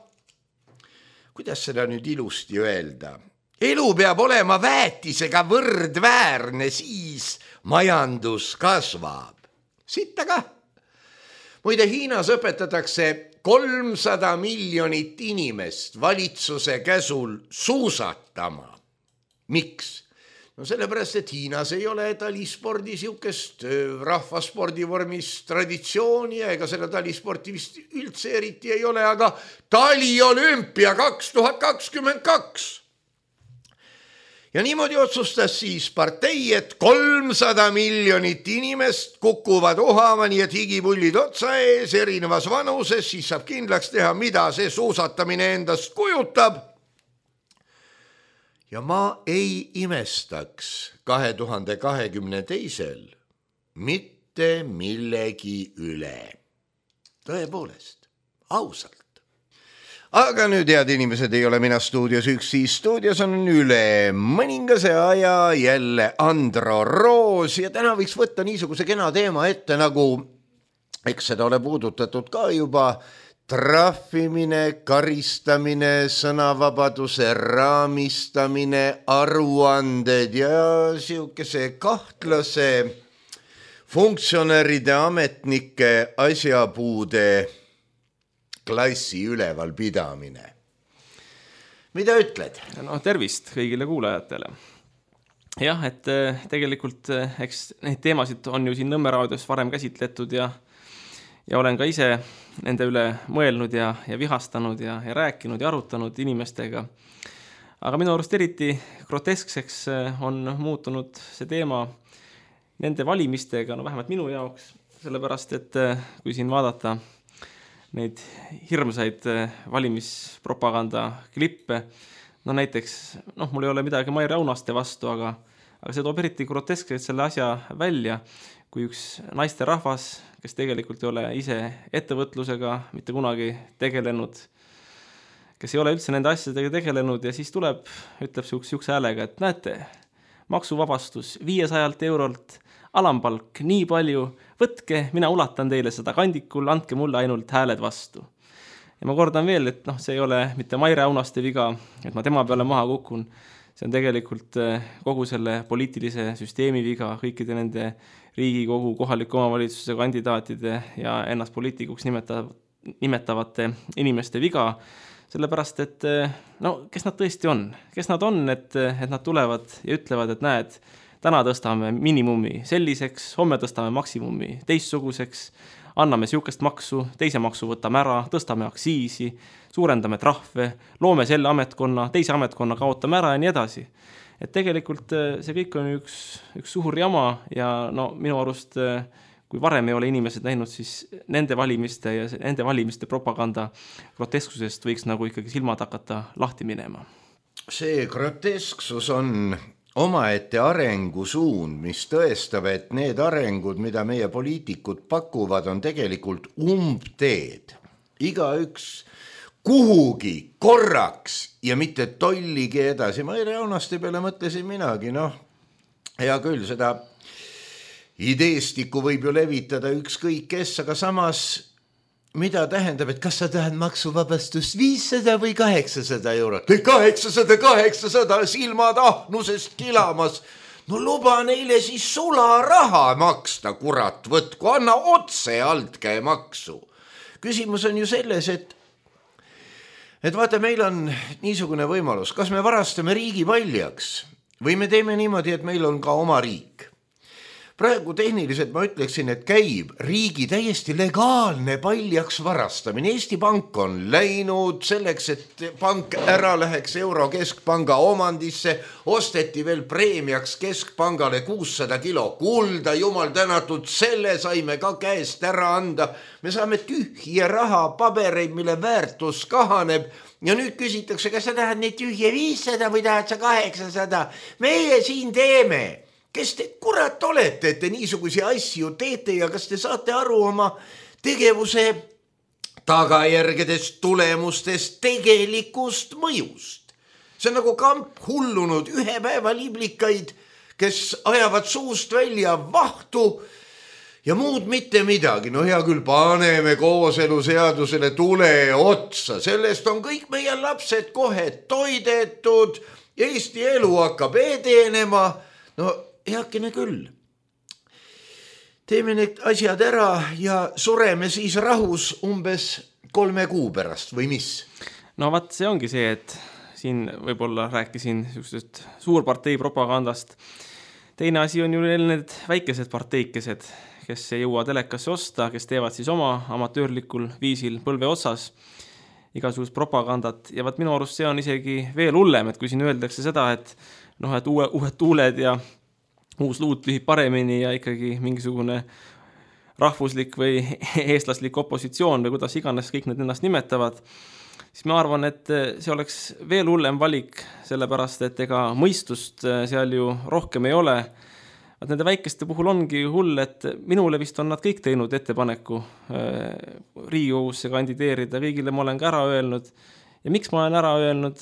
kuidas seda nüüd ilusti öelda, elu peab olema väetisega võrdväärne, siis majandus kasvab. Sitta ka. Muide, Hiinas õpetatakse 300 miljonit inimest valitsuse käsul suusatama. Miks? No sellepärast, et Hiinas ei ole talispordi siukest rahvaspordi vormis traditsiooni ega seda talisporti vist üldse eriti ei ole, aga taliolümpia 2022. Ja niimoodi otsustas siis partei, et 300 miljonit inimest kukuvad ohama, nii et higipullid otsa ees erinevas vanuses, siis saab kindlaks teha, mida see suusatamine endast kujutab. Ja ma ei imestaks 2022. mitte millegi üle. Tõepoolest, ausalt. Aga nüüd, head inimesed, ei ole mina stuudios üksi, stuudios on üle mõningase aja jälle Andro Roos ja täna võiks võtta niisuguse kena teema ette, nagu eks seda ole puudutatud ka juba, trahvimine, karistamine, sõnavabaduse raamistamine, aruanded ja siukese kahtlase funktsionäride, ametnike, asjapuude klassi üleval pidamine. Mida ütled? No tervist kõigile kuulajatele. Jah, et tegelikult eks neid teemasid on ju siin Nõmme raadios varem käsitletud ja olen ka ise nende üle mõelnud ja vihastanud ja rääkinud ja arutanud inimestega. Aga minu arust eriti groteskseks on muutunud see teema nende valimistega, no vähemalt minu jaoks, sellepärast, et kui siin vaadata neid hirmsaid valimispropaganda klippe, no näiteks, mul ei ole midagi Maire Aunaste vastu, aga see toob eriti groteskselt selle asja välja, kui üks naisterahvas, kes tegelikult ei ole ise ettevõtlusega mitte kunagi tegelenud, kes ei ole üldse nende asjadega tegelenud ja siis tuleb, ütleb siukse häälega, et näete, maksuvabastus 500 eurolt, alampalk nii palju, võtke, mina ulatan teile seda kandikul, andke mulle ainult hääled vastu. Ja ma kordan veel, et see ei ole mitte Maire Aunaste viga, et ma tema peale maha kukun, see on tegelikult kogu selle poliitilise süsteemi viga, kõikide nende Riigikogu kohaliku omavalitsuse kandidaatide ja ennast poliitikuks nimetavate inimeste viga, sellepärast, et kes nad tõesti on? Kes nad on, et nad tulevad ja ütlevad, et näed, täna tõstame minimumi selliseks, homme tõstame maksimumi teistsuguseks, anname siukest maksu, teise maksu võtame ära, tõstame aktsiisi, suurendame trahve, loome selle ametkonna, teise ametkonna kaotame ära ja nii edasi. Et tegelikult see kõik on üks suur jama ja minu arust, kui varem ei ole inimesed näinud, siis nende valimiste ja nende valimiste propaganda grotesksusest võiks nagu ikkagi silmad hakata lahti minema. See grotesksus on omaette arengusuund, mis tõestab, et need arengud, mida meie poliitikud pakuvad, on tegelikult umbteed. Igaüks kuhugi korraks ja mitte tolligi edasi. Maire Aunaste peale mõtlesin minagi, hea küll, seda ideestiku võib ju levitada ükskõik kes, aga samas mida tähendab, et kas sa tahad maksuvabastust 500 või 800 eurot? 800, silmad ahnusest kilamas. No luba neile siis sularaha maksta, kurat, võtku, anna otse altkäemaksu. Küsimus on ju selles, et vaata, meil on niisugune võimalus, kas me varastame riigi paljaks või me teeme niimoodi, et meil on ka oma riik. Praegu tehniliselt ma ütleksin, et käib riigi täiesti legaalne paljaks varastamine. Eesti Pank on läinud selleks, et pank ära läheks Euro keskpanga omandisse, osteti veel preemiaks keskpangale 600 kilo kulda, jumal tänatud, selle saime ka käest ära anda. Me saame tühje raha, pabereid, mille väärtus kahaneb ja nüüd küsitakse, kas sa tahad neid tühje 500 või tahad sa 800? Meie siin teeme. Kes te kurat olete, et te niisugusi asju teete ja kas te saate aru oma tegevuse tagajärgedest, tulemustest, tegelikust mõjust? See on nagu kamp hullunud ühe päeva liblikaid, kes ajavad suust välja vahtu ja muud mitte midagi. No hea küll, paneme kooseluseadusele tule otsa, sellest on kõik meie lapsed kohe toidetud, Eesti elu hakkab edenema, heakene küll. Teeme need asjad ära ja sureme siis rahus umbes 3 kuu pärast või mis? No vaat see ongi see, et siin võib-olla rääkisin suurpartei propagandast. Teine asi on ju need väikesed parteikesed, kes ei jõua telekasse osta, kes teevad siis oma amatöörlikul viisil põlve otsas igasugust propagandat ja vaat minu arust see on isegi veel hullem, et kui siin öeldakse seda, et et uued tuuled ja uus luut lühib paremini ja ikkagi mingisugune rahvuslik või eestlaslik opositsioon või kuidas iganes kõik need ennast nimetavad, siis ma arvan, et see oleks veel hullem valik, sellepärast, et ega mõistust seal ju rohkem ei ole. Nende väikeste puhul ongi hull, et minule vist on nad kõik teinud ettepaneku Riigikogusse kandideerida, kõigile ma olen ka ära öelnud. Ja miks ma olen ära öelnud?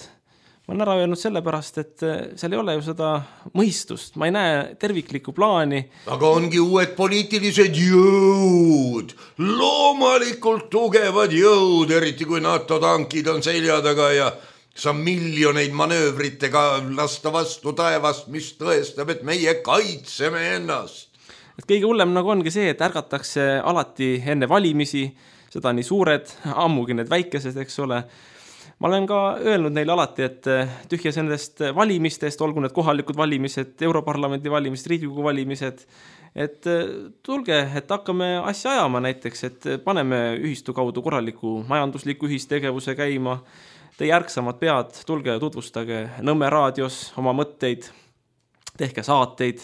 Ma olen ära öelnud sellepärast, et seal ei ole ju seda mõistust. Ma ei näe terviklikku plaani. Aga ongi uued poliitilised jõud, loomalikult tugevad jõud, eriti kui NATO tankid on selja taga ja saab miljoneid manöövritega lasta vastu taevast, mis tõestab, et meie kaitseme ennast. Et kõige hullem nagu ongi see, et ärgatakse alati enne valimisi, seda nii suured, ammugi need väikesed, eks ole. Ma olen ka öelnud neile alati, et tühjas nendest valimistest, olgu need kohalikud valimised, Europarlamendi valimised, Riigikogu valimised, et tulge, et hakkame asja ajama näiteks, et paneme ühistu kaudu korraliku majandusliku ühistegevuse käima, teie ärksamad pead, tulge ja tutvustage Nõmme raadios oma mõtteid, tehke saateid,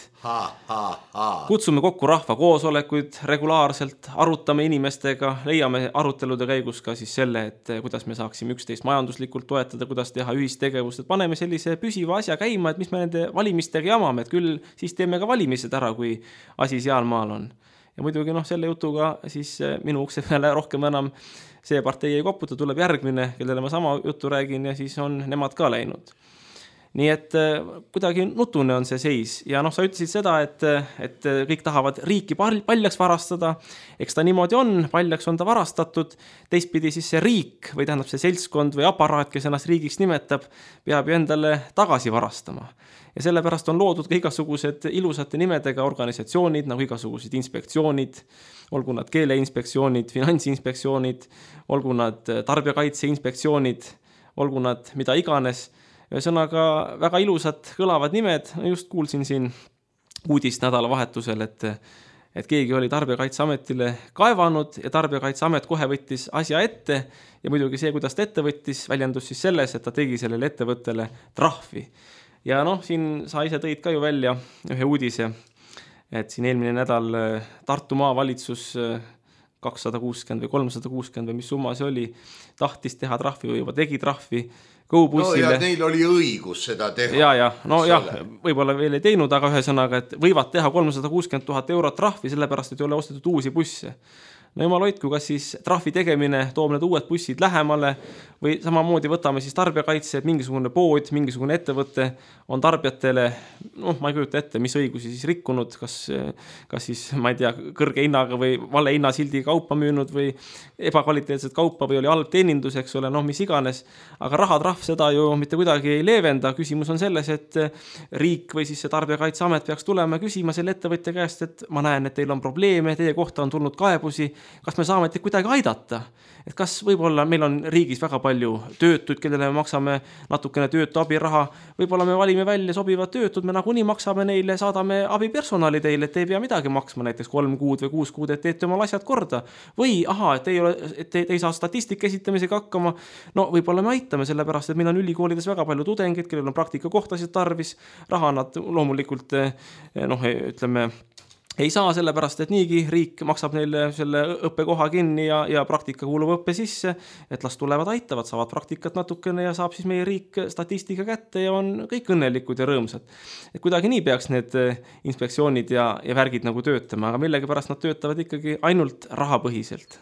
kutsume kokku rahva koosolekuid regulaarselt, arutame inimestega, leiame arutelude käigus ka siis selle, et kuidas me saaksime üksteist majanduslikult toetada, kuidas teha ühistegevust, et paneme sellise püsiva asja käima, et mis me nende valimistega jamame, et küll siis teeme ka valimised ära, kui asi seal maal on. Ja muidugi selle jutuga siis minu ukse peale rohkem enam see partei ei koputa, tuleb järgmine, kellele ma sama juttu räägin ja siis on nemad ka läinud. Nii et kuidagi nutune on see seis ja sa ütlesid seda, et kõik tahavad riiki paljaks varastada, eks ta niimoodi on, paljaks on ta varastatud, teistpidi siis see riik või tähendab see seltskond või aparaat, kes ennast riigiks nimetab, peab ju endale tagasi varastama. Ja sellepärast on loodud ka igasugused ilusate nimedega organisatsioonid, nagu igasugused inspektsioonid, olgu nad keeleinspektsioonid, finantsinspektsioonid, olgu nad tarbijakaitseinspektsioonid, olgu nad mida iganes. Ühesõnaga väga ilusad kõlavad nimed, just kuulsin siin uudist nädalavahetusel, et keegi oli Tarbijakaitseametile kaevanud ja Tarbijakaitseamet kohe võttis asja ette ja muidugi see, kuidas ta ette võttis, väljendus siis selles, et ta tegi sellele ettevõttele trahvi. Ja siin sa ise tõid ka ju välja ühe uudise, et siin eelmine nädal Tartu maavalitsus 260 või 360 või mis summa see oli, tahtis teha trahvi või juba tegi trahvi GoBussile. No ja neil oli õigus seda teha. Ja, võib-olla veel ei teinud, aga ühesõnaga, et võivad teha 360 000 eurot trahvi, sellepärast, et ei ole ostetud uusi busse. No jumal hoidku, kas siis trahvi tegemine toob need uued bussid lähemale või samamoodi võtame siis tarbijakaitse, et mingisugune pood, mingisugune ettevõte on tarbijatele, ma ei kujuta ette, mis õigusi siis rikkunud, kas siis, ma ei tea, kõrge hinnaga või vale hinnasildiga kaupa müünud või ebakvaliteetset kaupa või oli halb teenindus, eks ole, mis iganes, aga rahatrahv seda ju mitte kuidagi ei leevenda. Küsimus on selles, et riik või siis see Tarbijakaitseamet peaks tulema ja küsima selle ettevõtja käest, et ma näen, et teil on probleeme, teie kohta on tulnud kaebusi, kas me saame teid kuidagi aidata? Et kas võib-olla meil on riigis väga palju töötuid, kellele me maksame natukene töötu abiraha, võib-olla me valime välja sobivad töötud, me nagunii maksame neile, saadame abipersonali teile, et ei pea midagi maksma, näiteks 3 kuud või 6 kuud, et teete omal asjad korda. Või et te ei saa statistika esitamisega hakkama, võib-olla me aitame sellepärast, et meil on ülikoolides väga palju tudengeid, kellel on praktikakohtasid tarvis, raha nad loomulikult, ütleme, ei saa sellepärast, et niigi riik maksab neile selle õppekoha kinni ja praktika kuulub õppe sisse, et las tulevad aitavad, saavad praktikat natukene ja saab siis meie riik statistika kätte ja on kõik õnnelikud ja rõõmsad. Et kuidagi nii peaks need inspektsioonid ja värgid nagu töötama, aga millegipärast nad töötavad ikkagi ainult rahapõhiselt.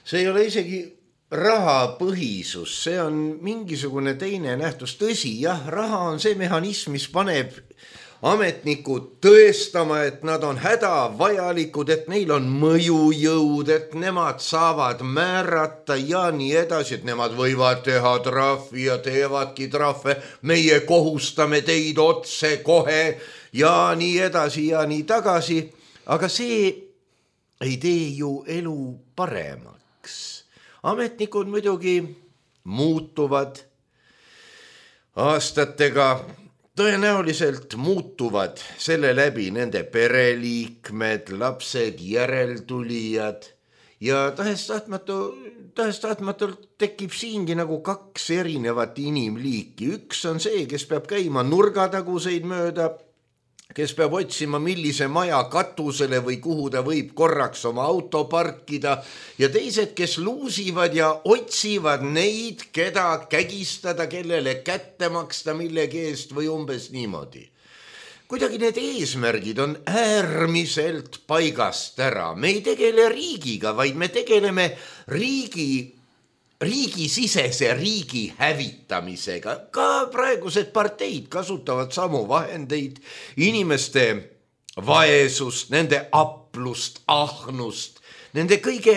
See ei ole isegi rahapõhisus, see on mingisugune teine nähtus. Tõsi, jah, raha on see mehhanism, mis paneb ametnikud tõestama, et nad on hädavajalikud, et neil on mõjujõud, et nemad saavad määrata ja nii edasi, et nemad võivad teha trahvi ja teevadki trahve, meie kohustame teid otse kohe ja nii edasi ja nii tagasi, aga see ei tee ju elu paremaks. Ametnikud muidugi muutuvad aastatega, tõenäoliselt muutuvad selle läbi nende pereliikmed, lapsed, järeltulijad ja tahes-tahtmatult tekib siingi nagu kaks erinevat inimliiki. Üks on see, kes peab käima nurgataguseid mööda, kes peab otsima, millise maja katusele või kuhu ta võib korraks oma auto parkida, ja teised, kes luusivad ja otsivad neid, keda kägistada, kellele kätte maksta millegi eest või umbes niimoodi. Kuidagi need eesmärgid on äärmiselt paigast ära. Me ei tegele riigiga, vaid me tegeleme riigisisese riigi hävitamisega. Ka praegused parteid kasutavad samu vahendeid, inimeste vaesust, nende aplust, ahnust, nende kõige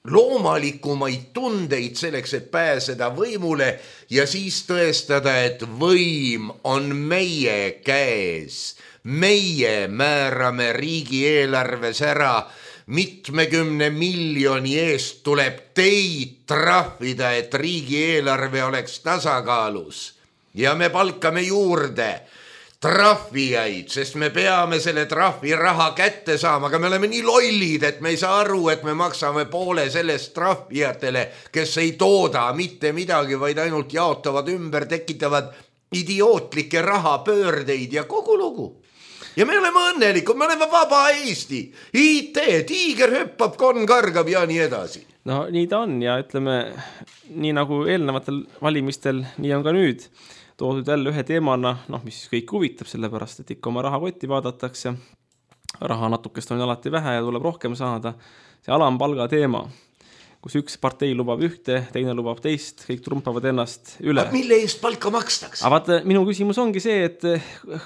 loomalikumaid tundeid selleks, et pääseda võimule ja siis tõestada, et võim on meie käes. Meie määrame riigieelarves ära, mitmekümne miljoni eest tuleb teid trahvida, et riigieelarve oleks tasakaalus. Ja me palkame juurde trahvijaid, sest me peame selle trahviraha kätte saama, aga me oleme nii lollid, et me ei saa aru, et me maksame poole sellest trahvijatele, kes ei tooda mitte midagi, vaid ainult jaotavad ümber, tekitavad idiootlikke rahapöördeid ja kogu lugu. Ja me oleme õnnelikud, me oleme vaba Eesti, IT, tiiger hüppab, konn kargab ja nii edasi. No nii ta on ja ütleme, nii nagu eelnevatel valimistel, nii on ka nüüd toodud jälle ühe teemana, mis kõik huvitab, sellepärast, et ikka oma rahakotti vaadatakse. Raha natukest on alati vähe ja tuleb rohkem saada. See alampalga teema, kus üks partei lubab ühte, teine lubab teist, kõik trumpavad ennast üle. Aga mille eest palka makstakse? Aga vaata, minu küsimus ongi see, et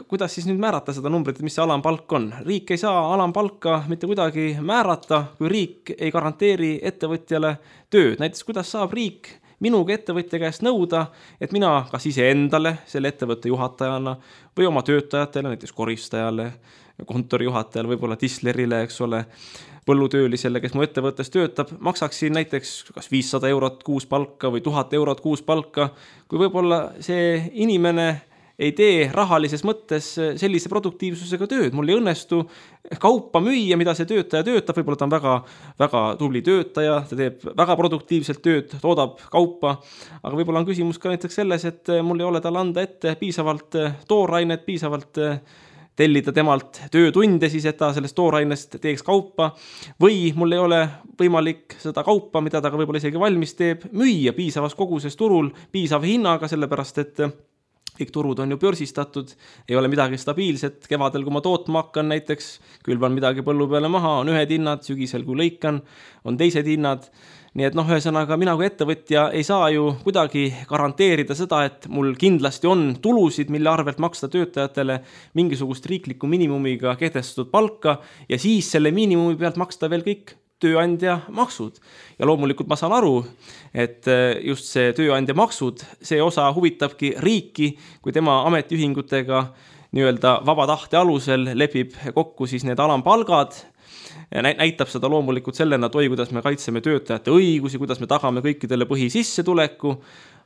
kuidas siis nüüd määrata seda numbrit, mis see alampalk on. Riik ei saa alampalka mitte kuidagi määrata, kui riik ei garanteeri ettevõtjale tööd. Näiteks, kuidas saab riik minuga ettevõtja käest nõuda, et mina kas ise endale, selle ettevõtte juhatajana või oma töötajatele, näiteks koristajale, kontorijuhatajale, võib-olla tislerile, eks ole, põllutöölisele, kes mu ettevõttes töötab, maksaksin näiteks kas 500 eurot kuus palka või 1000 eurot kuus palka, kui võib-olla see inimene ei tee rahalises mõttes sellise produktiivsusega tööd. Mul ei õnnestu kaupa müüa, mida see töötaja töötab. Võib-olla ta on väga, väga tubli töötaja, ta teeb väga produktiivselt tööd, toodab kaupa. Aga võib-olla on küsimus ka näiteks selles, et mul ei ole tal anda ette piisavalt toorainet, piisavalt tellida temalt töötunde siis, et ta sellest toorainest teeks kaupa. Või mul ei ole võimalik seda kaupa, mida ta ka võib-olla isegi valmis teeb, müüa piisavas koguses turul, piisava hinnaga, sellepärast et kõik turud on ju börsistatud, ei ole midagi stabiilset. Kevadel, kui ma tootma hakkan näiteks, külvan midagi põllu peale maha, on ühed hinnad, sügisel kui lõikan, on teised hinnad. Nii et ühesõnaga, mina kui ettevõtja ei saa ju kuidagi garanteerida seda, et mul kindlasti on tulusid, mille arvelt maksta töötajatele mingisugust riikliku miinimumiga kehtestatud palka ja siis selle miinimumi pealt maksta veel kõik tööandja maksud. Ja loomulikult ma saan aru, et just see tööandja maksud, see osa huvitabki riiki, kui tema ametiühingutega nii-öelda vaba tahte alusel lepib kokku siis need alampalgad ja näitab seda loomulikult sellena, et kuidas me kaitseme töötajate õigusi, kuidas me tagame kõikidele põhisissetuleku,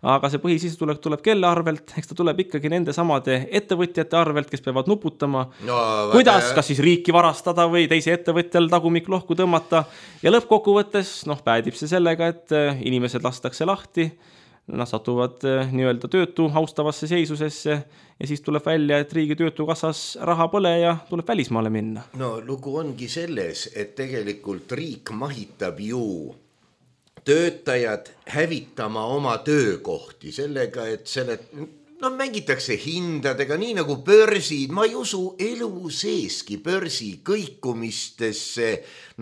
aga see põhisissetulek tuleb kelle arvelt, eks ta tuleb ikkagi nende samade ettevõtjate arvelt, kes peavad nuputama, kuidas kas siis riiki varastada või teise ettevõtjal tagumik lohku tõmmata ja lõppkokkuvõttes päädib see sellega, et inimesed lastakse lahti, nad satuvad nii-öelda töötu austavasse seisusesse ja siis tuleb välja, et riigi töötukassas raha pole ja tuleb välismaale minna. No lugu ongi selles, et tegelikult riik mahitab ju töötajad hävitama oma töökohti sellega, et mängitakse hindadega, nii nagu börsid. Ma ei usu elu seeski börsi kõikumistesse,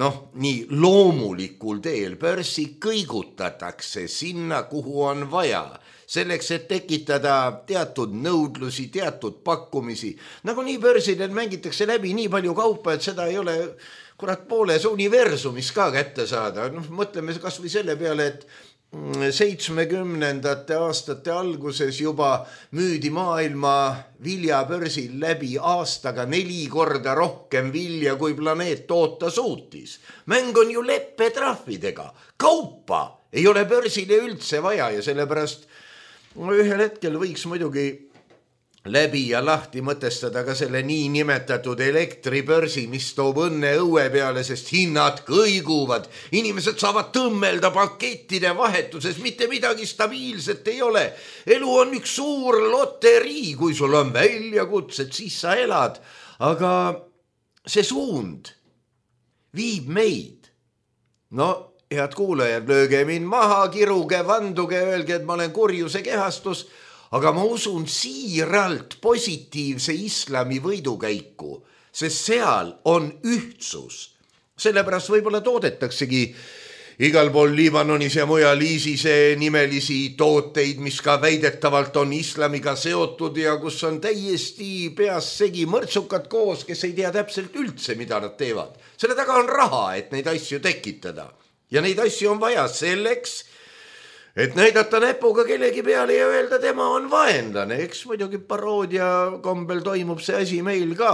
nii loomulikul teel. Börsi kõigutatakse sinna, kuhu on vaja. Selleks, et tekitada teatud nõudlusi, teatud pakkumisi. Nagu nii börsidel mängitakse läbi nii palju kaupa, et seda ei ole pooles universumis ka kätte saada. Mõtleme kas või selle peale, et 70. aastate alguses juba müüdi maailma viljabörsil läbi aastaga 4 korda rohkem vilja, kui planeet toota suutis. Mäng on ju leppetrahvidega. Kaupa ei ole börsile üldse vaja ja sellepärast ühel hetkel võiks muidugi läbi ja lahti mõtestada ka selle niinimetatud elektribörsi, mis toob õnne õue peale, sest hinnad kõiguvad. Inimesed saavad tõmmelda pakettide vahetuses, mitte midagi stabiilset ei ole. Elu on üks suur loterii, kui sul on väljakutsed, siis sa elad. Aga see suund viib meid. No, head kuulajad, lööge mind maha, kiruge, vanduge, öelge, et ma olen kurjuse kehastus, aga ma usun siiralt positiivse islami võidukäiku, sest seal on ühtsus. Sellepärast võib-olla toodetaksegi igal pool Liibanonis ja mujal ISISe nimelisi tooteid, mis ka väidetavalt on islamiga seotud ja kus on täiesti peas segi mõrtsukad koos, kes ei tea täpselt üldse, mida nad teevad. Selle taga on raha, et neid asju tekitada. Ja neid asju on vaja selleks, et näidata näpuga kellegi peale ja öelda, tema on vaenlane. Eks muidugi paroodia kombel toimub see asi meil ka.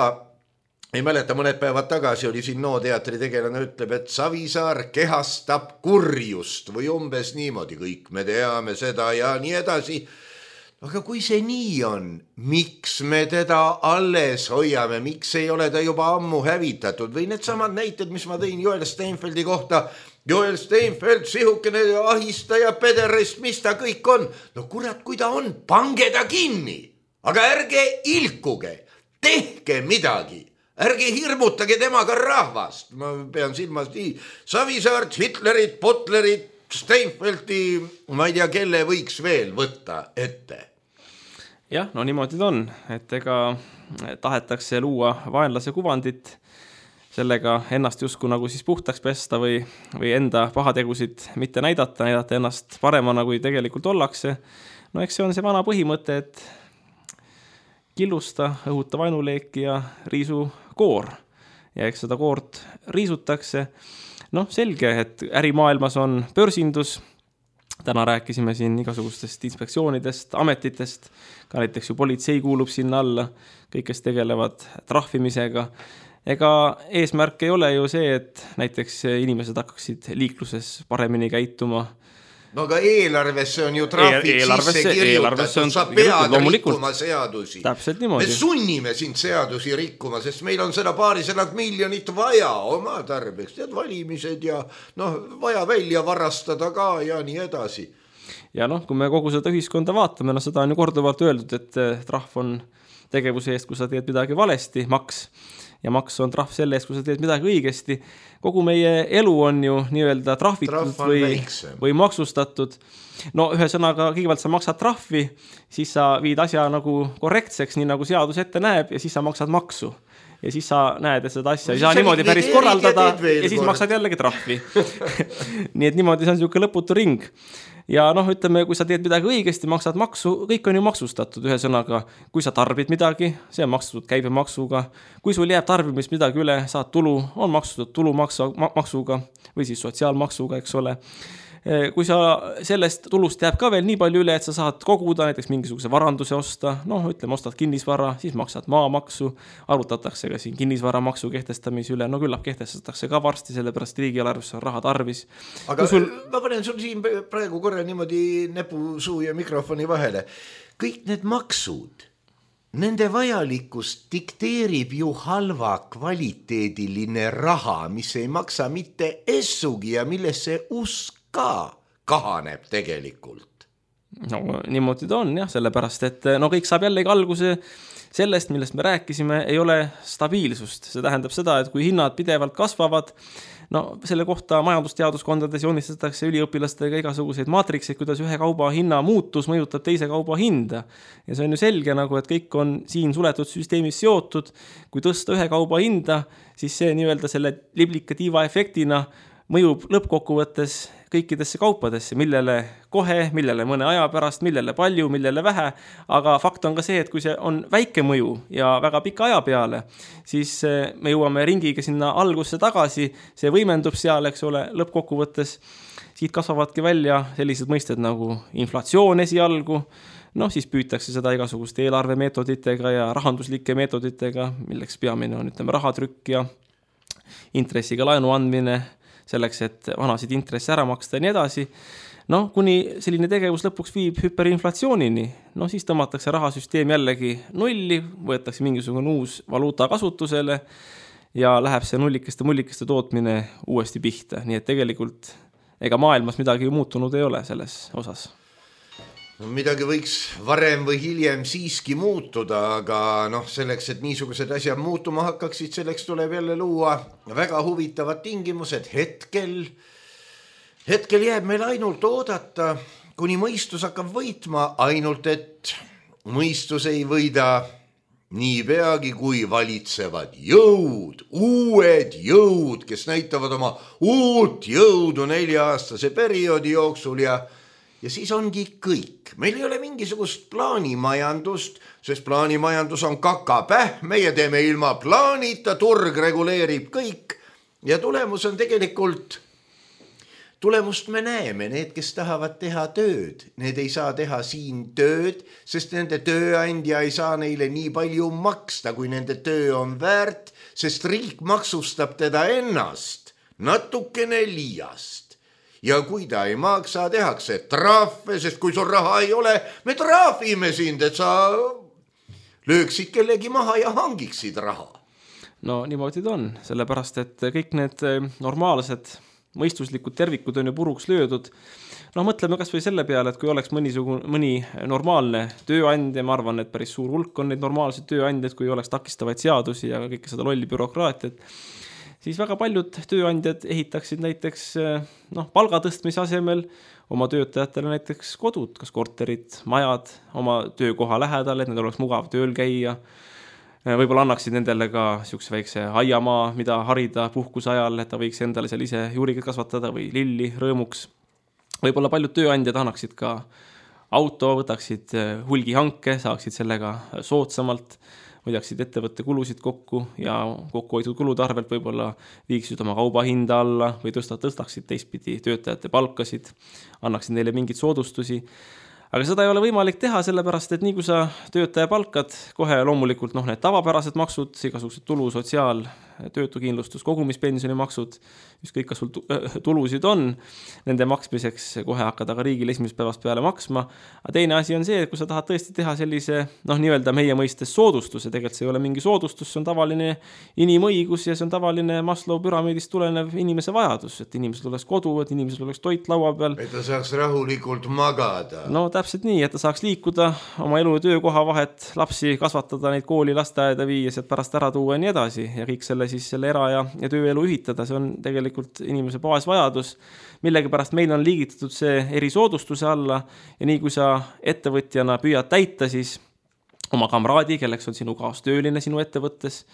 Ei mäleta, mõned päevad tagasi oli siin teatri tegelane ütleb, et Savisaar kehastab kurjust või umbes niimoodi, kõik me teame seda ja nii edasi. Aga kui see nii on, miks me teda alles hoiame, miks ei ole ta juba ammu hävitatud või need samad näited, mis ma tõin Joel Steinfeldi kohta. Joel Steinfeld, sihukene ahistaja, pederist, mis ta kõik on. No kurat, kui ta on, pange ta kinni, aga ärge ilkuge, tehke midagi. Ärge hirmutage temaga rahvast. Ma pean silmas nii Savisaart, Hitlerit, Butlerit, Steinfeldi, ma ei tea, kelle võiks veel võtta ette. Jah, no niimoodi ta on, et ega tahetakse luua vaenlase kuvandit, sellega ennast justkui nagu siis puhtaks pesta või enda pahategusid mitte näidata ennast paremana, kui tegelikult ollakse. No eks see on see vana põhimõte, et killusta, õhuta vaenuleeki ja riisu koor. Ja eks seda koort riisutakse. No selge, et ärimaailmas on börsindus. Täna rääkisime siin igasugustest inspektsioonidest, ametitest. Ka näiteks ju politsei kuulub sinna alla, kõik, kes tegelevad trahvimisega. Ega eesmärk ei ole ju see, et näiteks inimesed hakkaksid liikluses paremini käituma. No aga eelarvesse on ju trahvid sisse kirjutatud, sa pead rikkuma seadusi. Täpselt niimoodi. Me sunnime sind seadusi rikkuma, sest meil on seda 200 miljonit vaja oma tarbeks, tead valimised ja vaja välja varastada ka ja nii edasi. Ja kui me kogu seda ühiskonda vaatame, seda on ju korduvalt öeldud, et trahv on tegevuse eest, kui sa teed midagi valesti, maks. Ja maks on trahv selle eest, kui sa teed midagi õigesti. Kogu meie elu on ju nii-öelda trahvitud või maksustatud. No ühesõnaga, kõigepealt sa maksad trahvi, siis sa viid asja nagu korrektseks, nii nagu seadus ette näeb, ja siis sa maksad maksu. Ja siis sa näed, et seda asja ei saa niimoodi päris korraldada ja siis maksad jällegi trahvi. Nii et niimoodi see on niisugune lõputu ring. Ja ütleme, kui sa teed midagi õigesti, maksad maksu, kõik on ju maksustatud ühesõnaga. Kui sa tarbid midagi, see on maksustatud käibemaksuga. Kui sul jääb tarbimist midagi üle, saad tulu, on maksustatud tulumaksuga või siis sotsiaalmaksuga, eks ole. Kui sa sellest tulust jääb ka veel nii palju üle, et sa saad koguda näiteks mingisuguse varanduse osta, ütleme, ostad kinnisvara, siis maksad maamaksu, arutatakse ka siin kinnisvaramaksu kehtestamise üle, küllap kehtestatakse ka varsti, sellepärast riigieelarves on raha tarvis. Aga ma panen sul siin praegu korra niimoodi näpu, suu ja mikrofoni vahele. Kõik need maksud, nende vajalikkust dikteerib ju halva kvaliteediline raha, mis ei maksa mitte essugi ja millesse usk ka kahaneb tegelikult. Niimoodi ta on jah, sellepärast, et kõik saab jällegi alguse sellest, millest me rääkisime, ei ole stabiilsust. See tähendab seda, et kui hinnad pidevalt kasvavad, selle kohta majandusteaduskondades joonistatakse üliõpilastega igasuguseid maatrikseid, kuidas ühe kauba hinna muutus mõjutab teise kauba hinda. Ja see on ju selge, et kõik on siin suletud süsteemis seotud. Kui tõsta ühe kauba hinda, siis see nii-öelda selle liblika tiiva efektina mõjub lõppkokkuvõttes kõikidesse kaupadesse, millele kohe, millele mõne aja pärast, millele palju, millele vähe, aga fakt on ka see, et kui see on väike mõju ja väga pika aja peale, siis me jõuame ringiga sinna algusse tagasi, see võimendub seal, eks ole, lõppkokkuvõttes, siit kasvavadki välja sellised mõisted nagu inflatsioon esialgu, siis püütakse seda igasuguste eelarvemeetoditega ja rahanduslike meetoditega, milleks peamine on, rahatrükk ja intressiga laenu andmine, selleks, et vanasid intresse ära maksta ja nii edasi. noh, kuni selline tegevus lõpuks viib hüperinflatsioonini, no siis tõmmatakse rahasüsteem jällegi nulli, võetakse mingisugune uus valuuta kasutusele ja läheb see nullikeste tootmine uuesti pihta. Nii et tegelikult ega maailmas midagi muutunud ei ole selles osas. No, midagi võiks varem või hiljem siiski muutuda, aga selleks, et niisugused asjad muutuma hakkaksid, selleks tuleb jälle luua väga huvitavad tingimused. Hetkel jääb meil ainult oodata, kuni mõistus hakkab võitma, ainult et mõistus ei võida nii peagi, kui valitsevad jõud, uued jõud, kes näitavad oma uut jõudu 4-aastase perioodi jooksul ja siis ongi kõik. Meil ei ole mingisugust plaanimajandust, sest plaanimajandus on kakapäh, meie teeme ilma plaanita, turg reguleerib kõik ja tulemus on tegelikult... Tulemust me näeme, need, kes tahavad teha tööd, need ei saa teha siin tööd, sest nende tööandja ei saa neile nii palju maksta, kui nende töö on väärt, sest riik maksustab teda ennast natukene liiast. Ja kui ta ei maksa, tehakse trahve, sest kui sul raha ei ole, me trahvime sind, et sa lööksid kellegi maha ja hangiksid raha. No niimoodi ta on, sellepärast, et kõik need normaalsed mõistuslikud tervikud on ju puruks löödud. No mõtleme kas või selle peale, et kui oleks mõni normaalne tööandja, ma arvan, et päris suur hulk on neid normaalseid tööandjaid, kui oleks takistavaid seadusi ja kõike seda lolli bürokraatiat, siis väga paljud tööandjad ehitaksid näiteks palga tõstmise asemel oma töötajatele näiteks kodud, kas korterid, majad oma töökoha lähedal, et need oleks mugav tööl käia. Võib-olla annaksid nendele ka siukse väikse aiamaa, mida harida puhkuse ajal, et ta võiks endale seal ise juuriga kasvatada või lilli rõõmuks. Võib-olla paljud tööandjad annaksid ka auto, võtaksid hulgihanke, saaksid sellega soodsamalt, hoiaksid ettevõtte kulusid kokku ja kokkuhoitud kulude arvelt võib-olla viiksid oma kauba hinda alla või tõstaksid teistpidi töötajate palkasid, annaksid neile mingid soodustusi. Aga seda ei ole võimalik teha, sellepärast, et nii kui sa töötaja palkad, kohe loomulikult need tavapärased maksud, igasugused tulu, sotsiaal, töötukindlustus, kogumispensioni maksud, ükskõik kas sul tulusid on, nende maksmiseks kohe hakkada ka riigil esimesest päevast peale maksma. Aga teine asi on see, et kui sa tahad tõesti teha sellise, nii-öelda meie mõistes soodustuse, tegelikult see ei ole mingi soodustus, see on tavaline inimõigus ja see on tavaline Maslow püramiidist tulenev inimese vajadus, et inimesel oleks kodu, et inimesel oleks toit laua peal. Et ta saaks rahulikult magada. No täpselt nii, et ta saaks liikuda oma elu ja töökoha vahet, lapsi kasvatada, neid kooli, lasteaeda viia, sealt pärast ära tuua ja nii edasi ja kõik selle era- ja tööelu ühitada, see on tegelikult inimese baasvajadus, millegi pärast meil on liigitatud see erisoodustuse alla ja nii kui sa ettevõtjana püüad täita siis oma kamraadi, kelleks on sinu kaastööline sinu ettevõttes,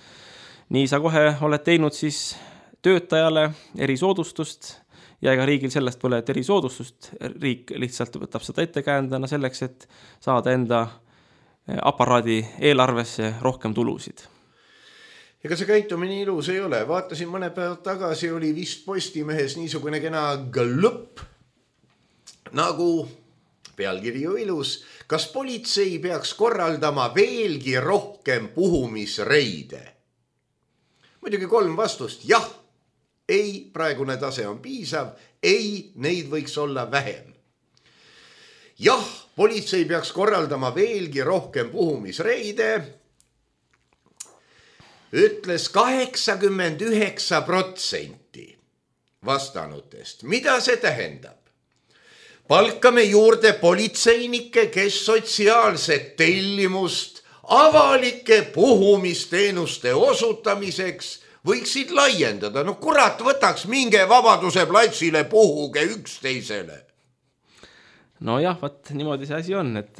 nii sa kohe oled teinud siis töötajale erisoodustust ja ega riigil sellest pole erisoodustust, riik lihtsalt võtab seda ettekäändena selleks, et saada enda aparaadi eelarvesse rohkem tulusid. Ega see käitumine ilus ei ole. Vaatasin mõne päev tagasi, oli vist Postimehes niisugune kena glõpp, nagu pealkiri ju ilus. Kas politsei peaks korraldama veelgi rohkem puhumisreide? Muidugi 3 vastust. Jah, ei, praegune tase on piisav. Ei, neid võiks olla vähem. Jah, politsei peaks korraldama veelgi rohkem puhumisreide. Ütles 89% vastanutest. Mida see tähendab? Palkame juurde politseinikke, kes sotsiaalset tellimust avalike puhumisteenuste osutamiseks võiksid laiendada. No kurat, võtaks minge Vabaduse platsile, puhuge üksteisele. No jah, niimoodi see asi on, et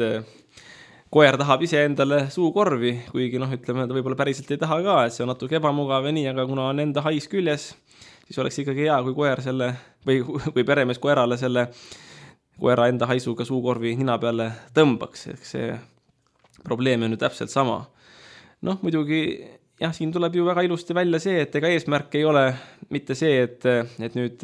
koer tahab ise endale suukorvi, kuigi ütleme, ta võib-olla päriselt ei taha ka, et see on natuke ebamugav ja nii, aga kuna on enda hais küljes, siis oleks ikkagi hea, kui koer selle või peremees koerale selle koera enda haisuga suukorvi nina peale tõmbaks. See probleem on ju täpselt sama. Muidugi jah, siin tuleb ju väga ilusti välja see, et ega eesmärk ei ole mitte see, et nüüd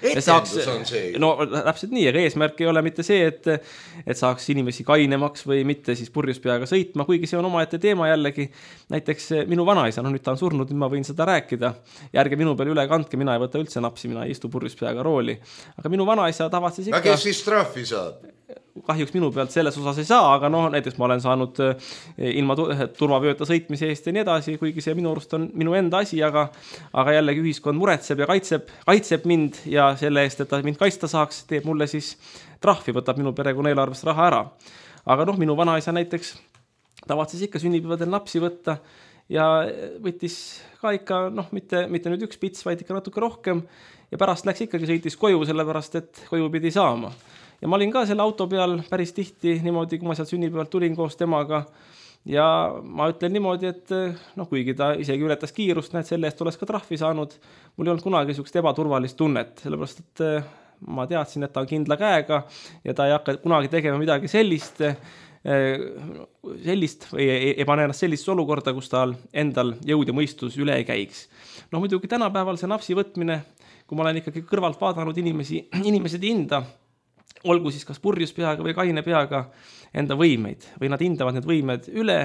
etendus on see. No täpselt nii, aga eesmärk ei ole mitte see, et saaks inimesi kainemaks või mitte siis purjuspeaga sõitma, kuigi see on omaette teema jällegi. Näiteks minu vanaisa, nüüd ta on surnud, nüüd ma võin seda rääkida. Ja ärge minu peal üle kandke, mina ei võta üldse napsi, mina ei istu purjuspeaga rooli. Aga minu vanaisa tavatses ikka... Aga kes siis trahvi saab? Kahjuks minu pealt selles osas ei saa, aga näiteks ma olen saanud ilma turvavööta sõitmise eest ja nii edasi, kuigi see minu arust on minu enda asi, aga jällegi ühiskond muretseb ja kaitseb mind ja selle eest, et ta mind kaitsta saaks, teeb mulle siis trahvi, võtab minu perekonna eelarvest raha ära. Aga minu vanaisa näiteks tavatses ikka sünnipäevadel napsi võtta ja võttis ka ikka, mitte nüüd üks pits, vaid ikka natuke rohkem ja pärast läks ikkagi sõitis koju, sellepärast, et koju pidi saama. Ja ma olin ka selle auto peal päris tihti niimoodi, kui ma sealt sünnipäevalt tulin koos temaga ja ma ütlen niimoodi, et kuigi ta isegi ületas kiirust, selle eest oleks ka trahvi saanud, mul ei olnud kunagi niisugust ebaturvalist tunnet, sellepärast, et ma teadsin, et ta on kindla käega ja ta ei hakka kunagi tegema midagi sellist või ei pane ennast sellisesse olukorda, kus tal endal jõud ja mõistus üle ei käiks. Muidugi tänapäeval see napsi võtmine, kui ma olen ikkagi kõrvalt vaadanud inimesed hinda, olgu siis kas purjus peaga või kaine peaga enda võimeid või nad hindavad need võimed üle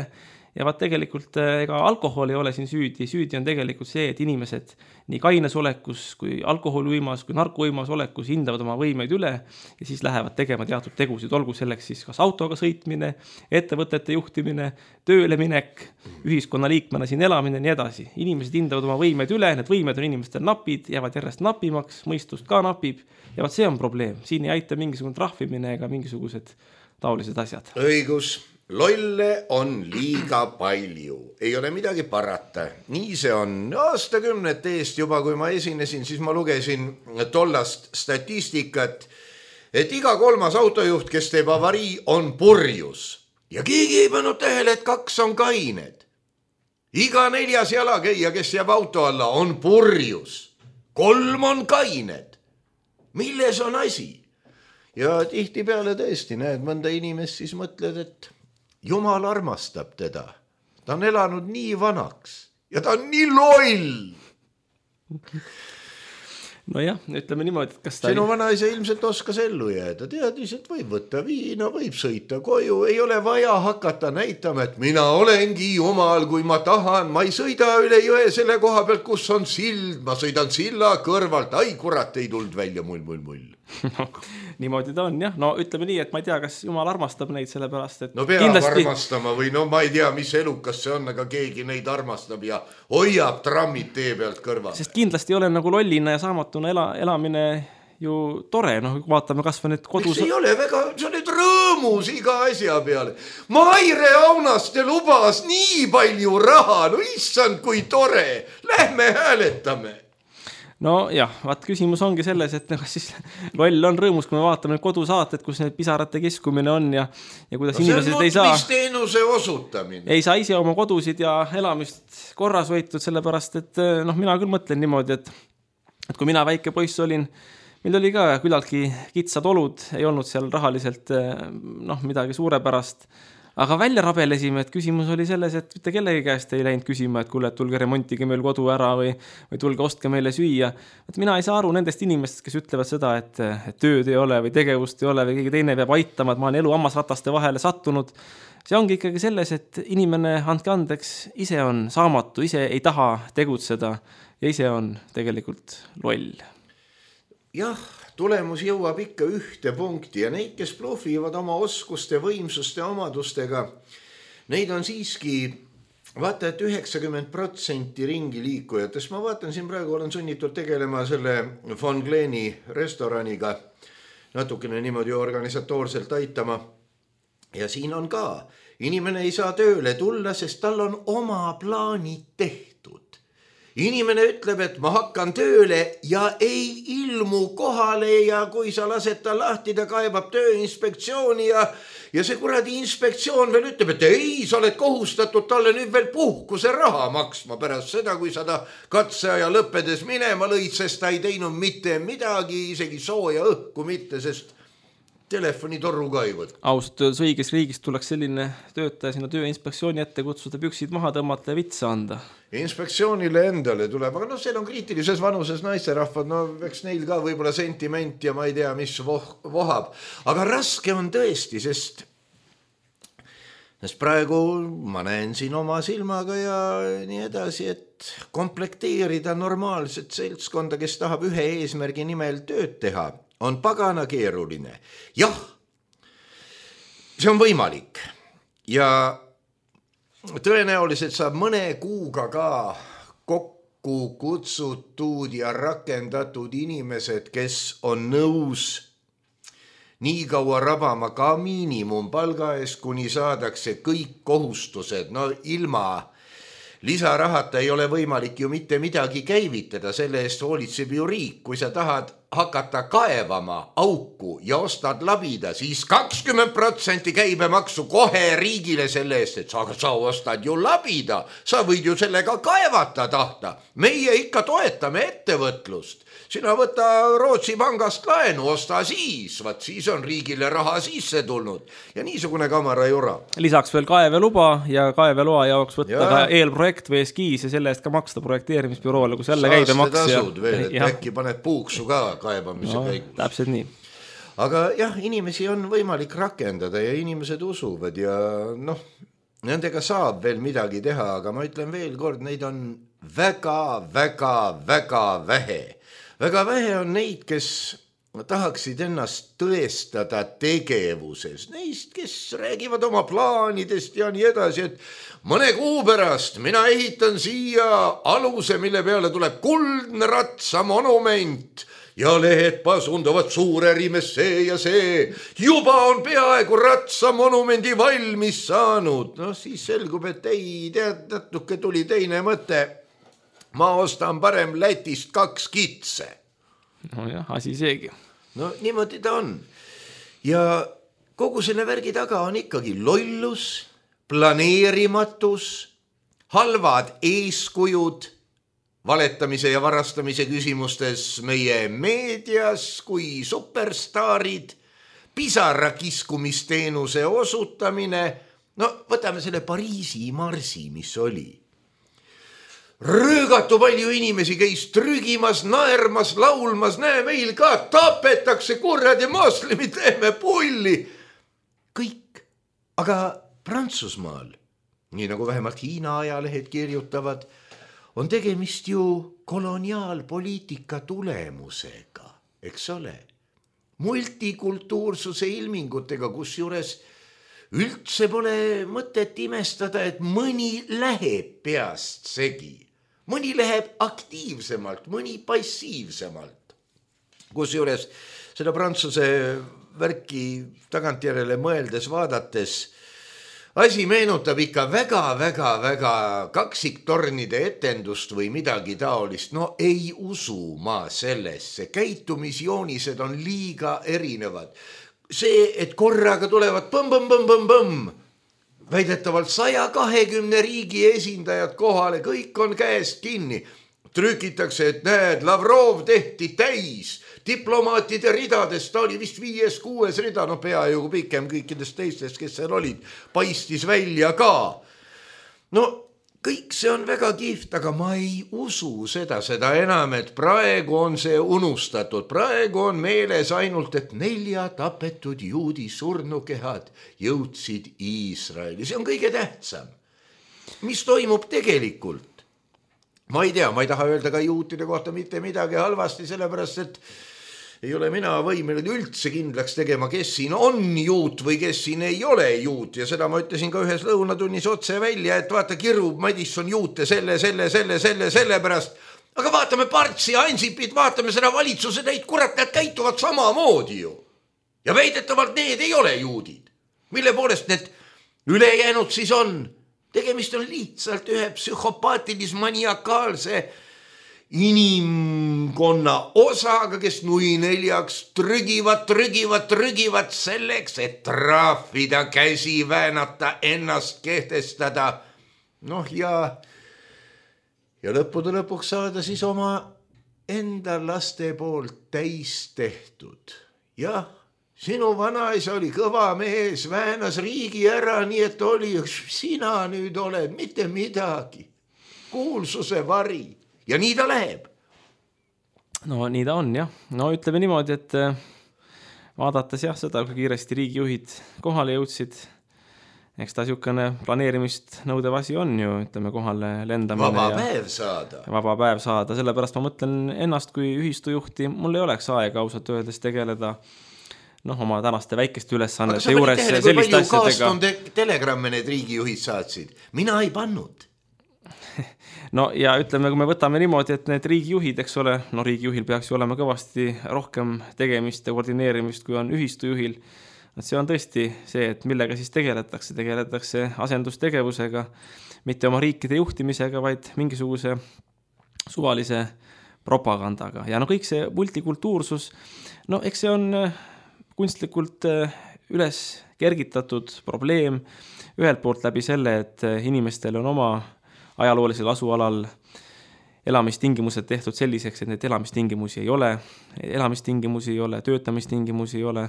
ja vaat tegelikult ega alkohol ei ole siin süüdi on tegelikult see, et inimesed nii kaines olekus kui alkoholiuimas kui narkouimas olekus hindavad oma võimeid üle ja siis lähevad tegema teatud tegusid, olgu selleks siis kas autoga sõitmine, ettevõtete juhtimine, tööle minek, ühiskonnaliikmena siin elamine ja nii edasi. Inimesed hindavad oma võimeid üle, need võimed on inimestel napid, jäävad järjest napimaks, mõistust ka napib ja vaat see on probleem. Siin ei aita mingisugune trahvimine ega mingisugused taolised asjad. Õigus. Lolle on liiga palju, ei ole midagi parata. Nii see on. Aastakümnete eest juba, kui ma esinesin, siis ma lugesin tollast statistikat, et iga 3. autojuht, kes teeb avarii, on purjus. Ja keegi ei pannud tähele, et 2 on kained. Iga 4. jalakäija, kes jääb auto alla, on purjus. 3 on kained. Milles on asi? Ja tihti peale tõesti näed mõnda inimest, siis mõtled, et Jumal armastab teda. Ta on elanud nii vanaks ja ta on nii loll. Nojah, ütleme niimoodi, et kas ta... Sinu vanaisa ilmselt oskas ellu jääda. Teadis, et võib võtta viina, võib sõita koju. Ei ole vaja hakata näitama, et mina olengi Jumal, kui ma tahan. Ma ei sõida üle jõe selle koha pealt, kus on sild. Ma sõidan silla kõrvalt. Ai, kurat, ei tuld välja mull. Niimoodi ta on, jah. No ütleme nii, et ma ei tea, kas Jumal armastab neid sellepärast, et... No peab armastama või ma ei tea, mis elukas see on, aga keegi neid armastab ja hoiab trammid tee pealt kõrval. Sest kindlasti ei ole nagu lollina ja saamatuna elamine ju tore, vaatame kas või need kodus... Miks ei ole väga, sa oled rõõmus iga asja peale. Maire Aunaste lubas nii palju raha, no issand, kui tore. Lähme hääletame. No jah, vaat küsimus ongi selles, et siis loll on rõõmus, kui me vaatame kodusaated, kus need pisarate kiskumine on ja kuidas inimesed ei saa... See on nutmisteenuse osutamine. Ei saa ise oma kodusid ja elamist korras võitud, sellepärast, et mina küll mõtlen niimoodi, et kui mina väike poiss olin, meil oli ka küllaltki kitsad olud, ei olnud seal rahaliselt midagi suurepärast, aga välja rabelesime, et küsimus oli selles, et mitte kellegi käest ei läinud küsima, et kuule, et tulge remontige meil kodu ära või tulge ostke meile süüa. Et mina ei saa aru nendest inimestest, kes ütlevad seda, et tööd ei ole või tegevust ei ole või keegi teine peab aitama, et ma olen elu hammasrataste vahele sattunud. See ongi ikkagi selles, et inimene, andke andeks, ise on saamatu, ise ei taha tegutseda ja ise on tegelikult loll. Jah, tulemus jõuab ikka ühte punkti ja neid, kes blufivad oma oskuste, võimsuste, omadustega, neid on siiski, vaata, et 90% ringi liikujatest. Ma vaatan siin praegu, olen sunnitud tegelema selle Von Gleni restoraniga, natukene niimoodi organisatoorselt aitama. Ja siin on ka, inimene ei saa tööle tulla, sest tal on oma plaanid tehtud. Inimene ütleb, et ma hakkan tööle ja ei ilmu kohale ja kui sa lased ta lahti, ta kaebab tööinspektsiooni ja see kuradi inspektsioon veel ütleb, et ei, sa oled kohustatud talle nüüd veel puhkuse raha maksma pärast seda, kui sa ta katseaja lõppedes minema lõid, sest ta ei teinud mitte midagi, isegi sooja õhku mitte, sest telefonitorru ka ei võtta. Ausalt öeldes õiges riigis tuleks selline töötaja sinna tööinspektsiooni ette kutsuda, püksid maha tõmmata ja vitsa anda. Inspektsioonile endale tuleb, aga seal on kriitilises vanuses naisterahvad, eks neil ka võib-olla sentiment ja ma ei tea, mis vohab. Aga raske on tõesti, sest praegu ma näen siin oma silmaga ja nii edasi, et komplekteerida normaalset seltskonda, kes tahab ühe eesmärgi nimel tööd teha, on pagana keeruline. Jah, see on võimalik ja tõenäoliselt saab mõne kuuga ka kokku kutsutud ja rakendatud inimesed, kes on nõus nii kaua rabama ka miinimumpalga eest, kuni saadakse kõik kohustused. Ilma lisarahata ei ole võimalik ju mitte midagi käivitada, selle eest hoolitseb ju riik. Kui sa tahad hakata kaevama auku ja ostad labida, siis 20% käibemaksu kohe riigile selle eest, et sa ostad ju labida, sa võid ju sellega kaevata tahta. Meie ikka toetame ettevõtlust. Sina võta Rootsi pangast laenu, osta siis, siis on riigile raha sisse tulnud ja niisugune kamara jura. Lisaks veel kaeveluba ja kaeveloa jaoks võtta ka eelprojekt või eskiis ja selle eest ka maksta projekteerimisbüroole, kus jälle käibemaks. Saastetasud veel, et äkki paned puuksu ka kaebamise käigus. Täpselt nii. Aga jah, inimesi on võimalik rakendada ja inimesed usuvad ja nendega saab veel midagi teha, aga ma ütlen veel kord, neid on väga vähe. Väga vähe on neid, kes tahaksid ennast tõestada tegevuses. Neist, kes räägivad oma plaanidest ja nii edasi, et mõne kuu pärast mina ehitan siia aluse, mille peale tuleb kuldne ratsa monument ja lehed pasunduvad suurerimes see ja see. Juba on peaaegu ratsa monumendi valmis saanud. Siis selgub, et ei tead, natuke tuli teine mõte. Ma ostan parem Lätist 2 kitse. Asi seegi. Niimoodi ta on. Ja kogu selle värgi taga on ikkagi lollus, planeerimatus, halvad eeskujud, valetamise ja varastamise küsimustes meie meedias kui superstaarid, pisarakiskumisteenuse osutamine. Võtame selle Pariisi marsi, mis oli. Röögatu palju inimesi käis trügimas, naermas, laulmas, näe meil ka tapetakse kuradi moslemid, teeme pulli. Kõik. Aga Prantsusmaal, nii nagu vähemalt Hiina ajalehed kirjutavad, on tegemist ju koloniaalpoliitika tulemusega, eks ole. Multikultuursuse ilmingutega, kus juures üldse pole mõtet imestada, et mõni läheb peast segi. Mõni läheb aktiivsemalt, mõni passiivsemalt. Kusjuures seda Prantsuse värki tagantjärele mõeldes vaadates asi meenutab ikka väga kaksiktornide etendust või midagi taolist. Ei usu ma sellesse. Käitumisjoonised on liiga erinevad. See, et korraga tulevad põmm, väidetavalt 120 riigi esindajad kohale, kõik on käest kinni. Trükitakse, et näed, Lavrov tehti täis, diplomaatide ridades, ta oli vist 5-6 rida, peaaegu pikem kõikidest teistest, kes seal olid, paistis välja ka. Kõik see on väga kihvt, aga ma ei usu seda enam, et praegu on see unustatud. Praegu on meeles ainult, et 4 tapetud juudi surnukehad jõudsid Iisraeli. See on kõige tähtsam. Mis toimub tegelikult? Ma ei tea, ma ei taha öelda ka juutide kohta mitte midagi halvasti, sellepärast, et ei ole mina võimeline üldse kindlaks tegema, kes siin on juut või kes siin ei ole juut. Ja seda ma ütlesin ka ühes lõunatunnis otse välja, et vaata, kirub Madisson juute selle pärast. Aga vaatame Partsi ja Ansipit, vaatame seda valitsuse neid, kurat, need käituvad samamoodi ju. Ja väidetavalt need ei ole juudid. Mille poolest need ülejäänud siis on? Tegemist on lihtsalt ühe psühhopaatilis-maniakaalse inimkonna osaga, kes nui neljaks trügivad selleks, et trahvida, käsi väänata, ennast kehtestada. Ja lõppude lõpuks saada siis oma enda laste poolt täis tehtud. Jah, sinu vanaisa oli kõva mees, väänas riigi ära, nii et oli, sina nüüd oled mitte midagi. Kuulsuse vari ja nii ta läheb. No nii ta on jah. No ütleme niimoodi, et vaadates jah seda, kui kiiresti riigijuhid kohale jõudsid, eks ta siukene planeerimist nõudev asi on ju, ütleme kohale lendamine. Vaba päev saada. Sellepärast ma mõtlen ennast kui ühistujuhti, mul ei oleks aega ausalt öeldes tegeleda oma tänaste väikeste ülesannete juures selliste asjadega. Palju telegramme need riigijuhid saatsid? Mina ei pannud. No ja ütleme, kui me võtame niimoodi, et need riigijuhid, eks ole, riigijuhil peaks ju olema kõvasti rohkem tegemist ja koordineerimist, kui on ühistujuhil. See on tõesti see, et millega siis tegeletakse asendustegevusega, mitte oma riikide juhtimisega, vaid mingisuguse suvalise propagandaga. Ja kõik see multikultuursus, eks see on kunstlikult üles kergitatud probleem ühelt poolt läbi selle, et inimestel on oma ajaloolisel asualal elamistingimused tehtud selliseks, et need elamistingimusi ei ole, töötamistingimusi ei ole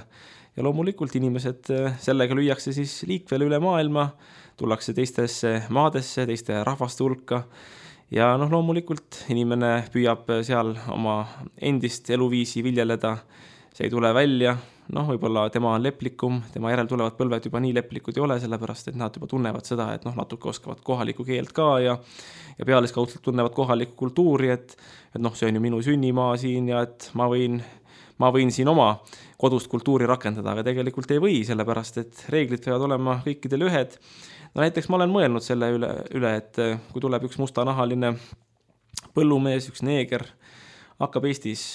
ja loomulikult inimesed sellega lüüakse siis liikvele üle maailma, tullakse teistesse maadesse, teiste rahvaste hulka ja loomulikult inimene püüab seal oma endist eluviisi viljeleda, see ei tule välja, võib-olla tema on leplikum, tema järel tulevad põlved juba nii leplikud ei ole, sellepärast, et nad juba tunnevad seda, et natuke oskavad kohalikku keelt ka ja pealiskaudselt tunnevad kohalikku kultuuri, et see on ju minu sünnimaa siin ja et ma võin siin oma kodust kultuuri rakendada, aga tegelikult ei või, sellepärast, et reeglid peavad olema kõikidel ühed. Näiteks ma olen mõelnud selle üle, et kui tuleb üks mustanahaline põllumees, üks neeger, hakkab Eestis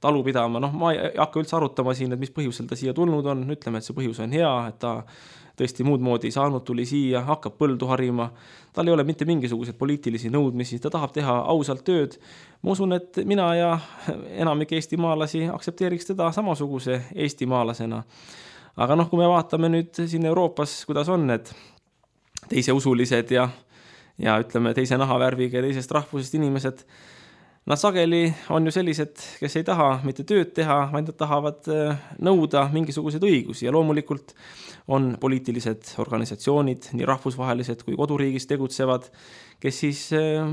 talu pidama, ma ei hakka üldse arutama siin, et mis põhjusel ta siia tulnud on, ütleme, et see põhjus on hea, et ta tõesti muud moodi saanud, tuli siia, hakkab põldu harima, tal ei ole mitte mingisuguseid poliitilisi nõudmisi, ta tahab teha ausalt tööd. Ma usun, et mina ja enamik eestimaalasi aktsepteeriks teda samasuguse eestimaalasena. Aga kui me vaatame nüüd siin Euroopas, kuidas on need teiseusulised ja ütleme teise nahavärviga ja teisest rahvusest inimesed, nad sageli on ju sellised, kes ei taha mitte tööd teha, vaid nad tahavad nõuda mingisuguseid õigusi ja loomulikult on poliitilised organisatsioonid, nii rahvusvahelised kui koduriigis tegutsevad, kes siis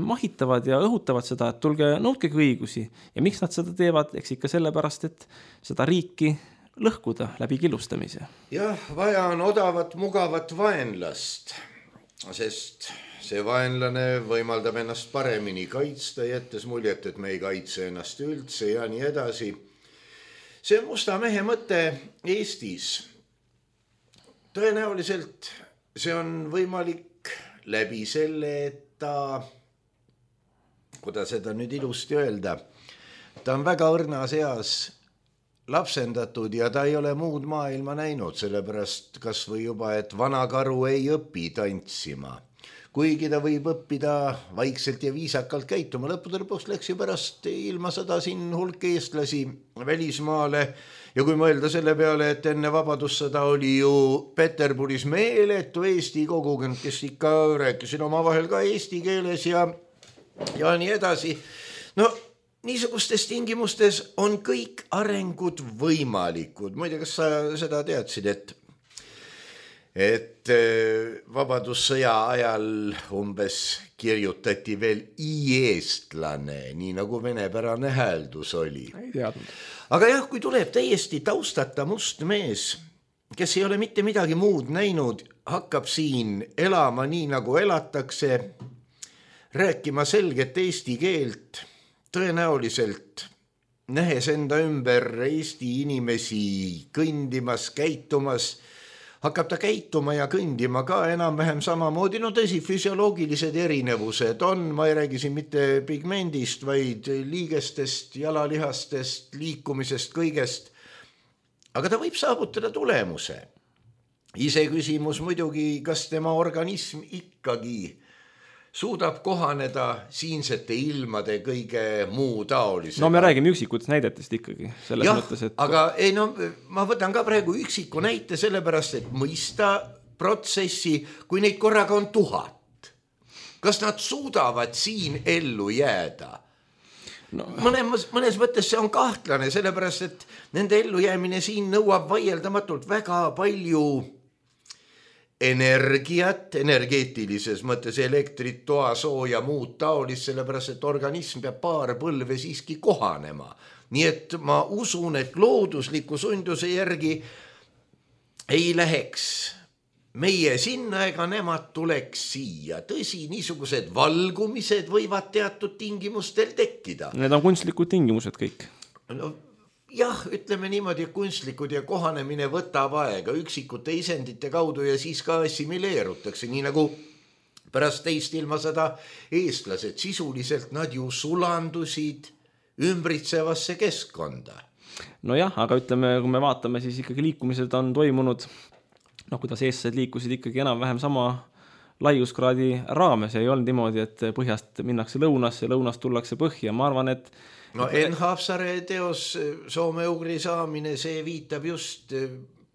mahitavad ja õhutavad seda, et tulge nõudkegi õigusi. Ja miks nad seda teevad? Eks ikka sellepärast, et seda riiki lõhkuda läbi killustamise. Jah, vaja on odavat, mugavat vaenlast, sest see vaenlane võimaldab ennast paremini kaitsta, jättes muljet, et me ei kaitse ennast üldse ja nii edasi. See musta mehe mõte Eestis. Tõenäoliselt see on võimalik läbi selle, et ta, kuidas seda nüüd ilusti öelda, ta on väga õrnas eas lapsendatud ja ta ei ole muud maailma näinud, sellepärast kas või juba, et vana karu ei õpi tantsima. Kuigi ta võib õppida vaikselt ja viisakalt käituma. Lõppude lõpuks läks ju pärast ilma sõda siin hulk eestlasi välismaale ja kui mõelda selle peale, et enne vabadussõda oli ju Peterburis meeletu Eesti kogukond, kes ikka rääkisid omavahel ka eesti keeles ja nii edasi. Niisugustes tingimustes on kõik arengud võimalikud. Muide, kas sa seda teadsid, et vabadussõja ajal umbes kirjutati veel i-eestlane, nii nagu venepärane hääldus oli. Ei teadnud. Aga jah, kui tuleb täiesti taustata must mees, kes ei ole mitte midagi muud näinud, hakkab siin elama nii nagu elatakse, rääkima selget eesti keelt, tõenäoliselt nähes enda ümber Eesti inimesi kõndimas, käitumas, hakkab ta käituma ja kõndima ka enam-vähem samamoodi. Tõsi, füsioloogilised erinevused on, ma ei räägi siin mitte pigmendist, vaid liigestest, jalalihastest, liikumisest, kõigest. Aga ta võib saavutada tulemuse. Ise küsimus muidugi, kas tema organism ikkagi suudab kohaneda siinsete ilmade kõige muu taolisega. Me räägime üksikutest näidetest ikkagi. Mõttes, et... aga ma võtan ka praegu üksiku näite sellepärast, et mõista protsessi, kui neid korraga on 1000. Kas nad suudavad siin ellu jääda? mõnes mõttes see on kahtlane, sellepärast, et nende ellujäämine siin nõuab vaieldamatult väga palju energiat, energeetilises mõttes elektrit, toasooja, muud taolist, sellepärast, et organism peab paar põlve siiski kohanema. Nii et ma usun, et loodusliku sunduse järgi ei läheks meie sinna ega nemad tuleks siia. Tõsi, niisugused valgumised võivad teatud tingimustel tekkida. Need on kunstlikud tingimused kõik. No, jah, ütleme niimoodi, et kunstlikud ja kohanemine võtab aega üksikute isendite kaudu ja siis ka assimileerutakse, nii nagu pärast teist ilmasõda eestlased. Sisuliselt nad ju sulandusid ümbritsevasse keskkonda. No jah, aga ütleme, kui me vaatame, siis ikkagi liikumised on toimunud, kuidas eestlased liikusid ikkagi enam-vähem sama laiuskraadi raames ja ei olnud niimoodi, et põhjast minnakse lõunasse, lõunast tullakse põhja. Ma arvan, et Enn Haapsaare teos soome-ugri saamine, see viitab just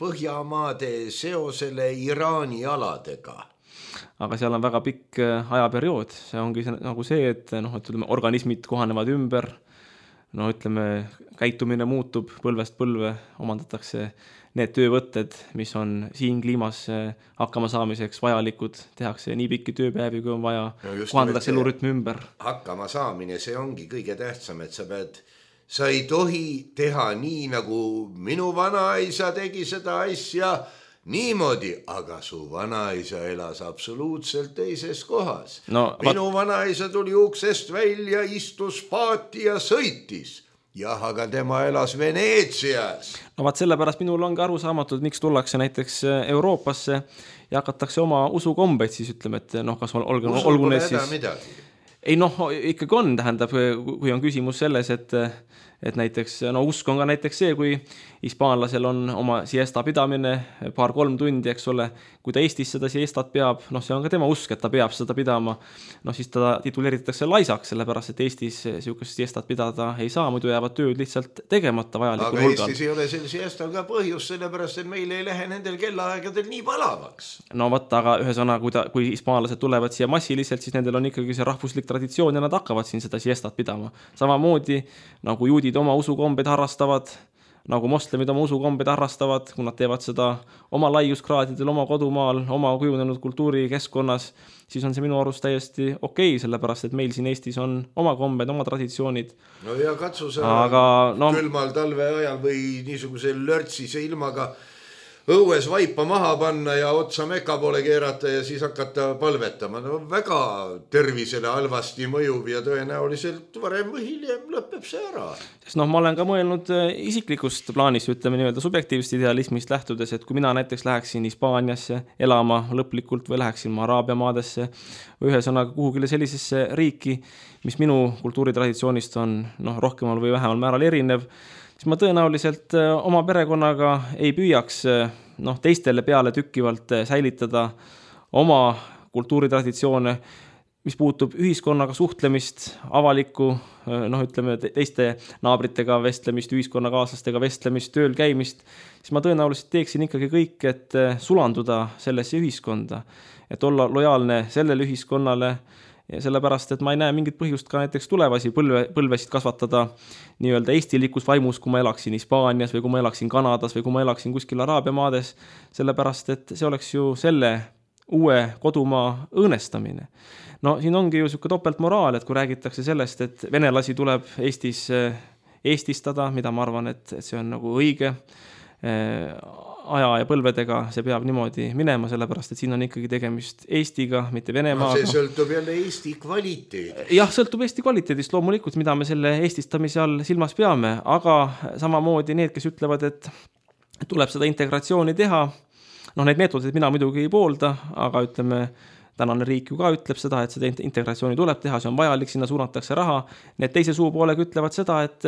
Põhjamaade seosele Iraani aladega. Aga seal on väga pikk ajaperiood. See ongi nagu see, et ütleme, organismid kohanevad ümber, käitumine muutub põlvest põlve, omandatakse need töövõtted, mis on siin kliimas hakkama saamiseks vajalikud, tehakse nii pikki tööpäevi, kui on vaja, kohandatakse elurütmi ümber. Hakkama saamine, see ongi kõige tähtsam, et sa ei tohi teha nii, nagu minu vanaisa tegi seda asja niimoodi, aga su vanaisa elas absoluutselt teises kohas. Minu vanaisa tuli uksest välja, istus paati ja sõitis. Jah, aga tema elas Veneetsias. Vaat sellepärast minul ongi aru saamatud, miks tullakse näiteks Euroopasse ja hakatakse oma usukombeid siis ütleme, et kas olgu need siis... midagi. Ei ikkagi on, tähendab, kui on küsimus selles, et näiteks, usk on ka näiteks see, kui hispaanlasel on oma siesta pidamine 2-3 tundi, eks ole, kui ta Eestis seda siestat peab, see on ka tema usk, et ta peab seda pidama, siis ta tituleeritakse laisaks, sellepärast, et Eestis siukest siestat pidada ei saa, muidu jäävad tööd lihtsalt tegemata vajalikul hulgal. Aga Eestis ei ole sel siestal ka põhjus, sellepärast, et meil ei lähe nendel kellaaegadel nii palavaks. Aga ühesõna, kui hispaanlased tulevad siia massiliselt, siis nendel on ikkagi see rahvuslik traditsioon ja nad hakkavad siin seda siestat pidama. Samamoodi, nagu juudid oma usukombeid harrastavad, nagu moslemid oma usukombeid harrastavad, kui nad teevad seda oma laiuskraadidel, oma kodumaal, oma kujunenud kultuurikeskkonnas, siis on see minu arust täiesti okei, sellepärast, et meil siin Eestis on oma kombed, oma traditsioonid. No ja katsu sa külmal talve ajal või niisuguse lörtsise ilmaga õues vaipa maha panna ja otsa meka poole keerata ja siis hakata palvetama. Väga tervisele halvasti mõjub ja tõenäoliselt varem või hiljem lõpeb see ära. Sest ma olen ka mõelnud isiklikust plaanist, ütleme nii-öelda subjektiivsest idealismist lähtudes, et kui mina näiteks läheksin Hispaaniasse elama lõplikult või läheksin Araabia maadesse või ühesõnaga kuhugile sellisesse riiki, mis minu kultuuritraditsioonist on rohkemal või vähemal määral erinev, siis ma tõenäoliselt oma perekonnaga ei püüaks teistele peale tükkivalt säilitada oma kultuuritraditsioone, mis puutub ühiskonnaga suhtlemist, avalikku, ütleme teiste naabritega vestlemist, ühiskonnakaaslastega vestlemist, tööl käimist, siis ma tõenäoliselt teeksin ikkagi kõik, et sulanduda sellesse ühiskonda, et olla lojaalne sellele ühiskonnale, ja sellepärast, et ma ei näe mingit põhjust ka näiteks tulevasi põlvesid kasvatada nii-öelda eestilikus vaimus, kui ma elaksin Hispaanias või kui ma elaksin Kanadas või kui ma elaksin kuskil Araabia maades, sellepärast, et see oleks ju selle uue kodumaa õõnestamine. Siin ongi ju selline topeltmoraal, et kui räägitakse sellest, et venelasi tuleb Eestis eestistada, mida ma arvan, et see on nagu õige aja ja põlvedega, see peab niimoodi minema, sellepärast, et siin on ikkagi tegemist Eestiga, mitte Venemaaga. See sõltub jälle Eesti kvaliteedist. Jah, sõltub Eesti kvaliteedist loomulikult, mida me selle eestistamise all silmas peame, aga samamoodi need, kes ütlevad, et tuleb seda integratsiooni teha, need meetodid mina muidugi ei poolda, aga ütleme, tänane riik ju ka ütleb seda, et seda integratsiooni tuleb teha, see on vajalik, sinna suunatakse raha. Need teise suupoolega ütlevad seda, et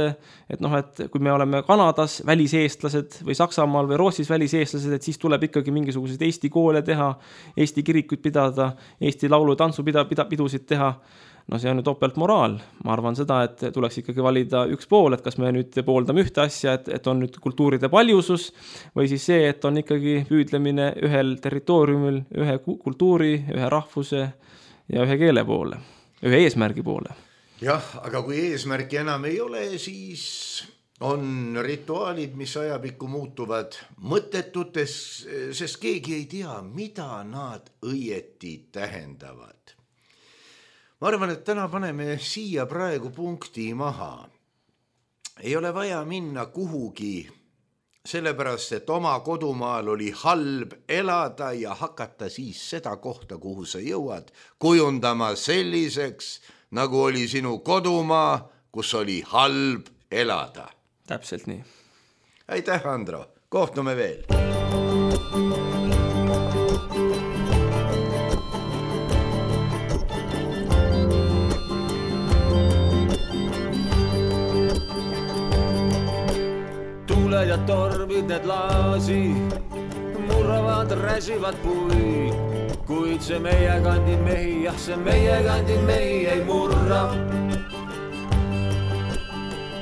kui me oleme Kanadas väliseestlased või Saksamaal või Rootsis väliseestlased, et siis tuleb ikkagi mingisuguseid Eesti koole teha, Eesti kirikuid pidada, Eesti laulu- ja tantsupidusid teha. See on ju topeltmoraal. Ma arvan seda, et tuleks ikkagi valida üks pool, et kas me nüüd pooldame ühte asja, et on nüüd kultuuride paljusus või siis see, et on ikkagi püüdlemine ühel territooriumil, ühe kultuuri, ühe rahvuse ja ühe keele poole, ühe eesmärgi poole. jah, aga kui eesmärki enam ei ole, siis on rituaalid, mis ajapikku muutuvad mõttetutes, sest keegi ei tea, mida nad õieti tähendavad. Ma arvan, et täna paneme siia praegu punkti maha. Ei ole vaja minna kuhugi, sellepärast, et oma kodumaal oli halb elada ja hakata siis seda kohta, kuhu sa jõuad, kujundama selliseks, nagu oli sinu kodumaa, kus oli halb elada. Täpselt nii. Aitäh, Andro. Kohtume veel. Tuuled ja tormid need laasi, murravad, räsivad puid, kuid see meie kandi mehi, jah, see meie kandi mehi ei murra.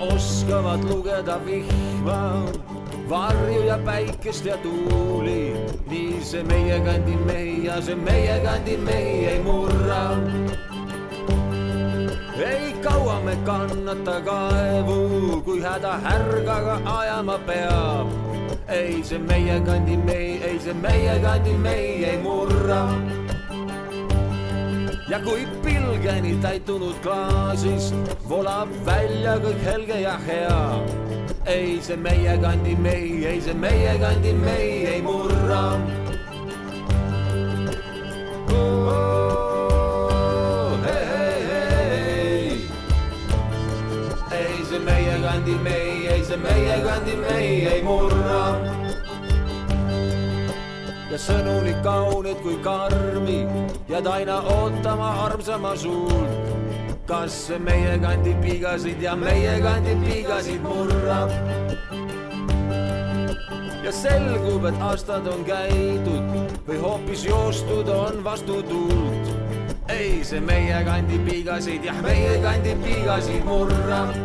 Oskavad lugeda vihma, varju ja päikest ja tuuli, nii see meie kandi mehi ja see meie kandi mehi ei murra. Ei kaua me kannata kaevu, kui häda härgaga ajama peab. Ei see meie kandi mehi, ei see meie kandi mehi ei murra. Ja kui pilgeni täitunud klaasist volab välja kõik helge ja hea, ei see meie kandi mehi, ei see meie kandi mehi ei murra. Ei see meie kandi mehi, ei see meie kandi mehi ei murra. Ja sõnu nii kaunid kui karmi, jääd aina ootama armsama suult. Kas see meie kandi piigasid ja meie kandi piigasid murrab? Ja selgub, et aastad on käidud või hoopis joostud on vastu tuult. Ei see meie kandi piigasid, jah, meie kandi piigasid murrab.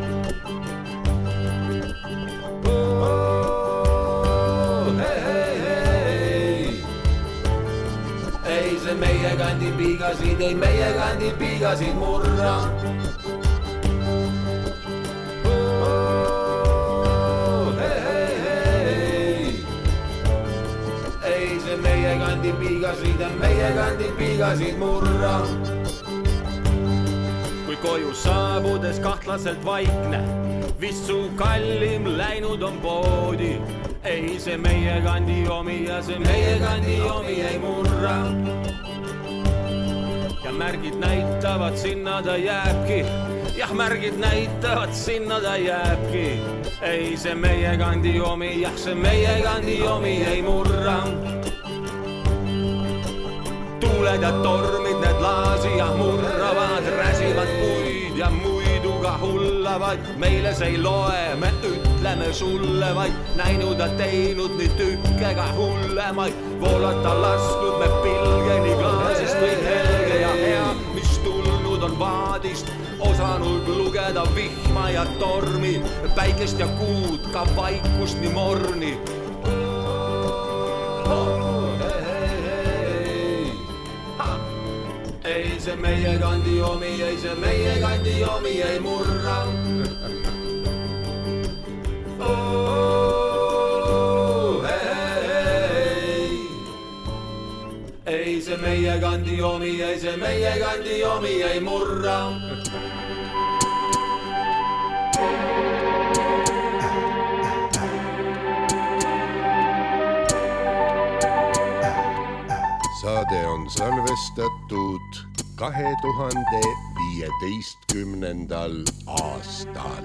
Ei see meie kandi piigasid, ei meie kandi piigasid murra. Ei see meie kandi piigasid ja meie kandi piigasid murra. Kui koju saabudes kahtlaselt vaikne, vist su kallim läinud on poodi. Ei see meie kandi omi ja see meie kandi omi ei murra. Ja märgid näitavad, sinna ta jääbki. Jah, märgid näitavad, sinna ta jääbki. Ei see meie kandi omi, jah, see meie kandi omi ei murra. Tuuled ja tormid need laasi ja murravad, räsivad puid ja muiduga hullavad. Meile see ei loe, me ütleme sulle vaid, näinud ja teinud nii tükkega hullemaid. Voolata lasknud me pilgeni klaasist või helge ja hea, mis tulnud on vaadist, osanud lugeda vihma ja tormi, päikest ja kuud, ka vaikust nii morni. Ei see meie kandi omi, ei see meie kandi omi ei murra. Ei see meie kandi omi, ei see meie kandi omi ei murra. Saade on salvestatud 2015. aastal.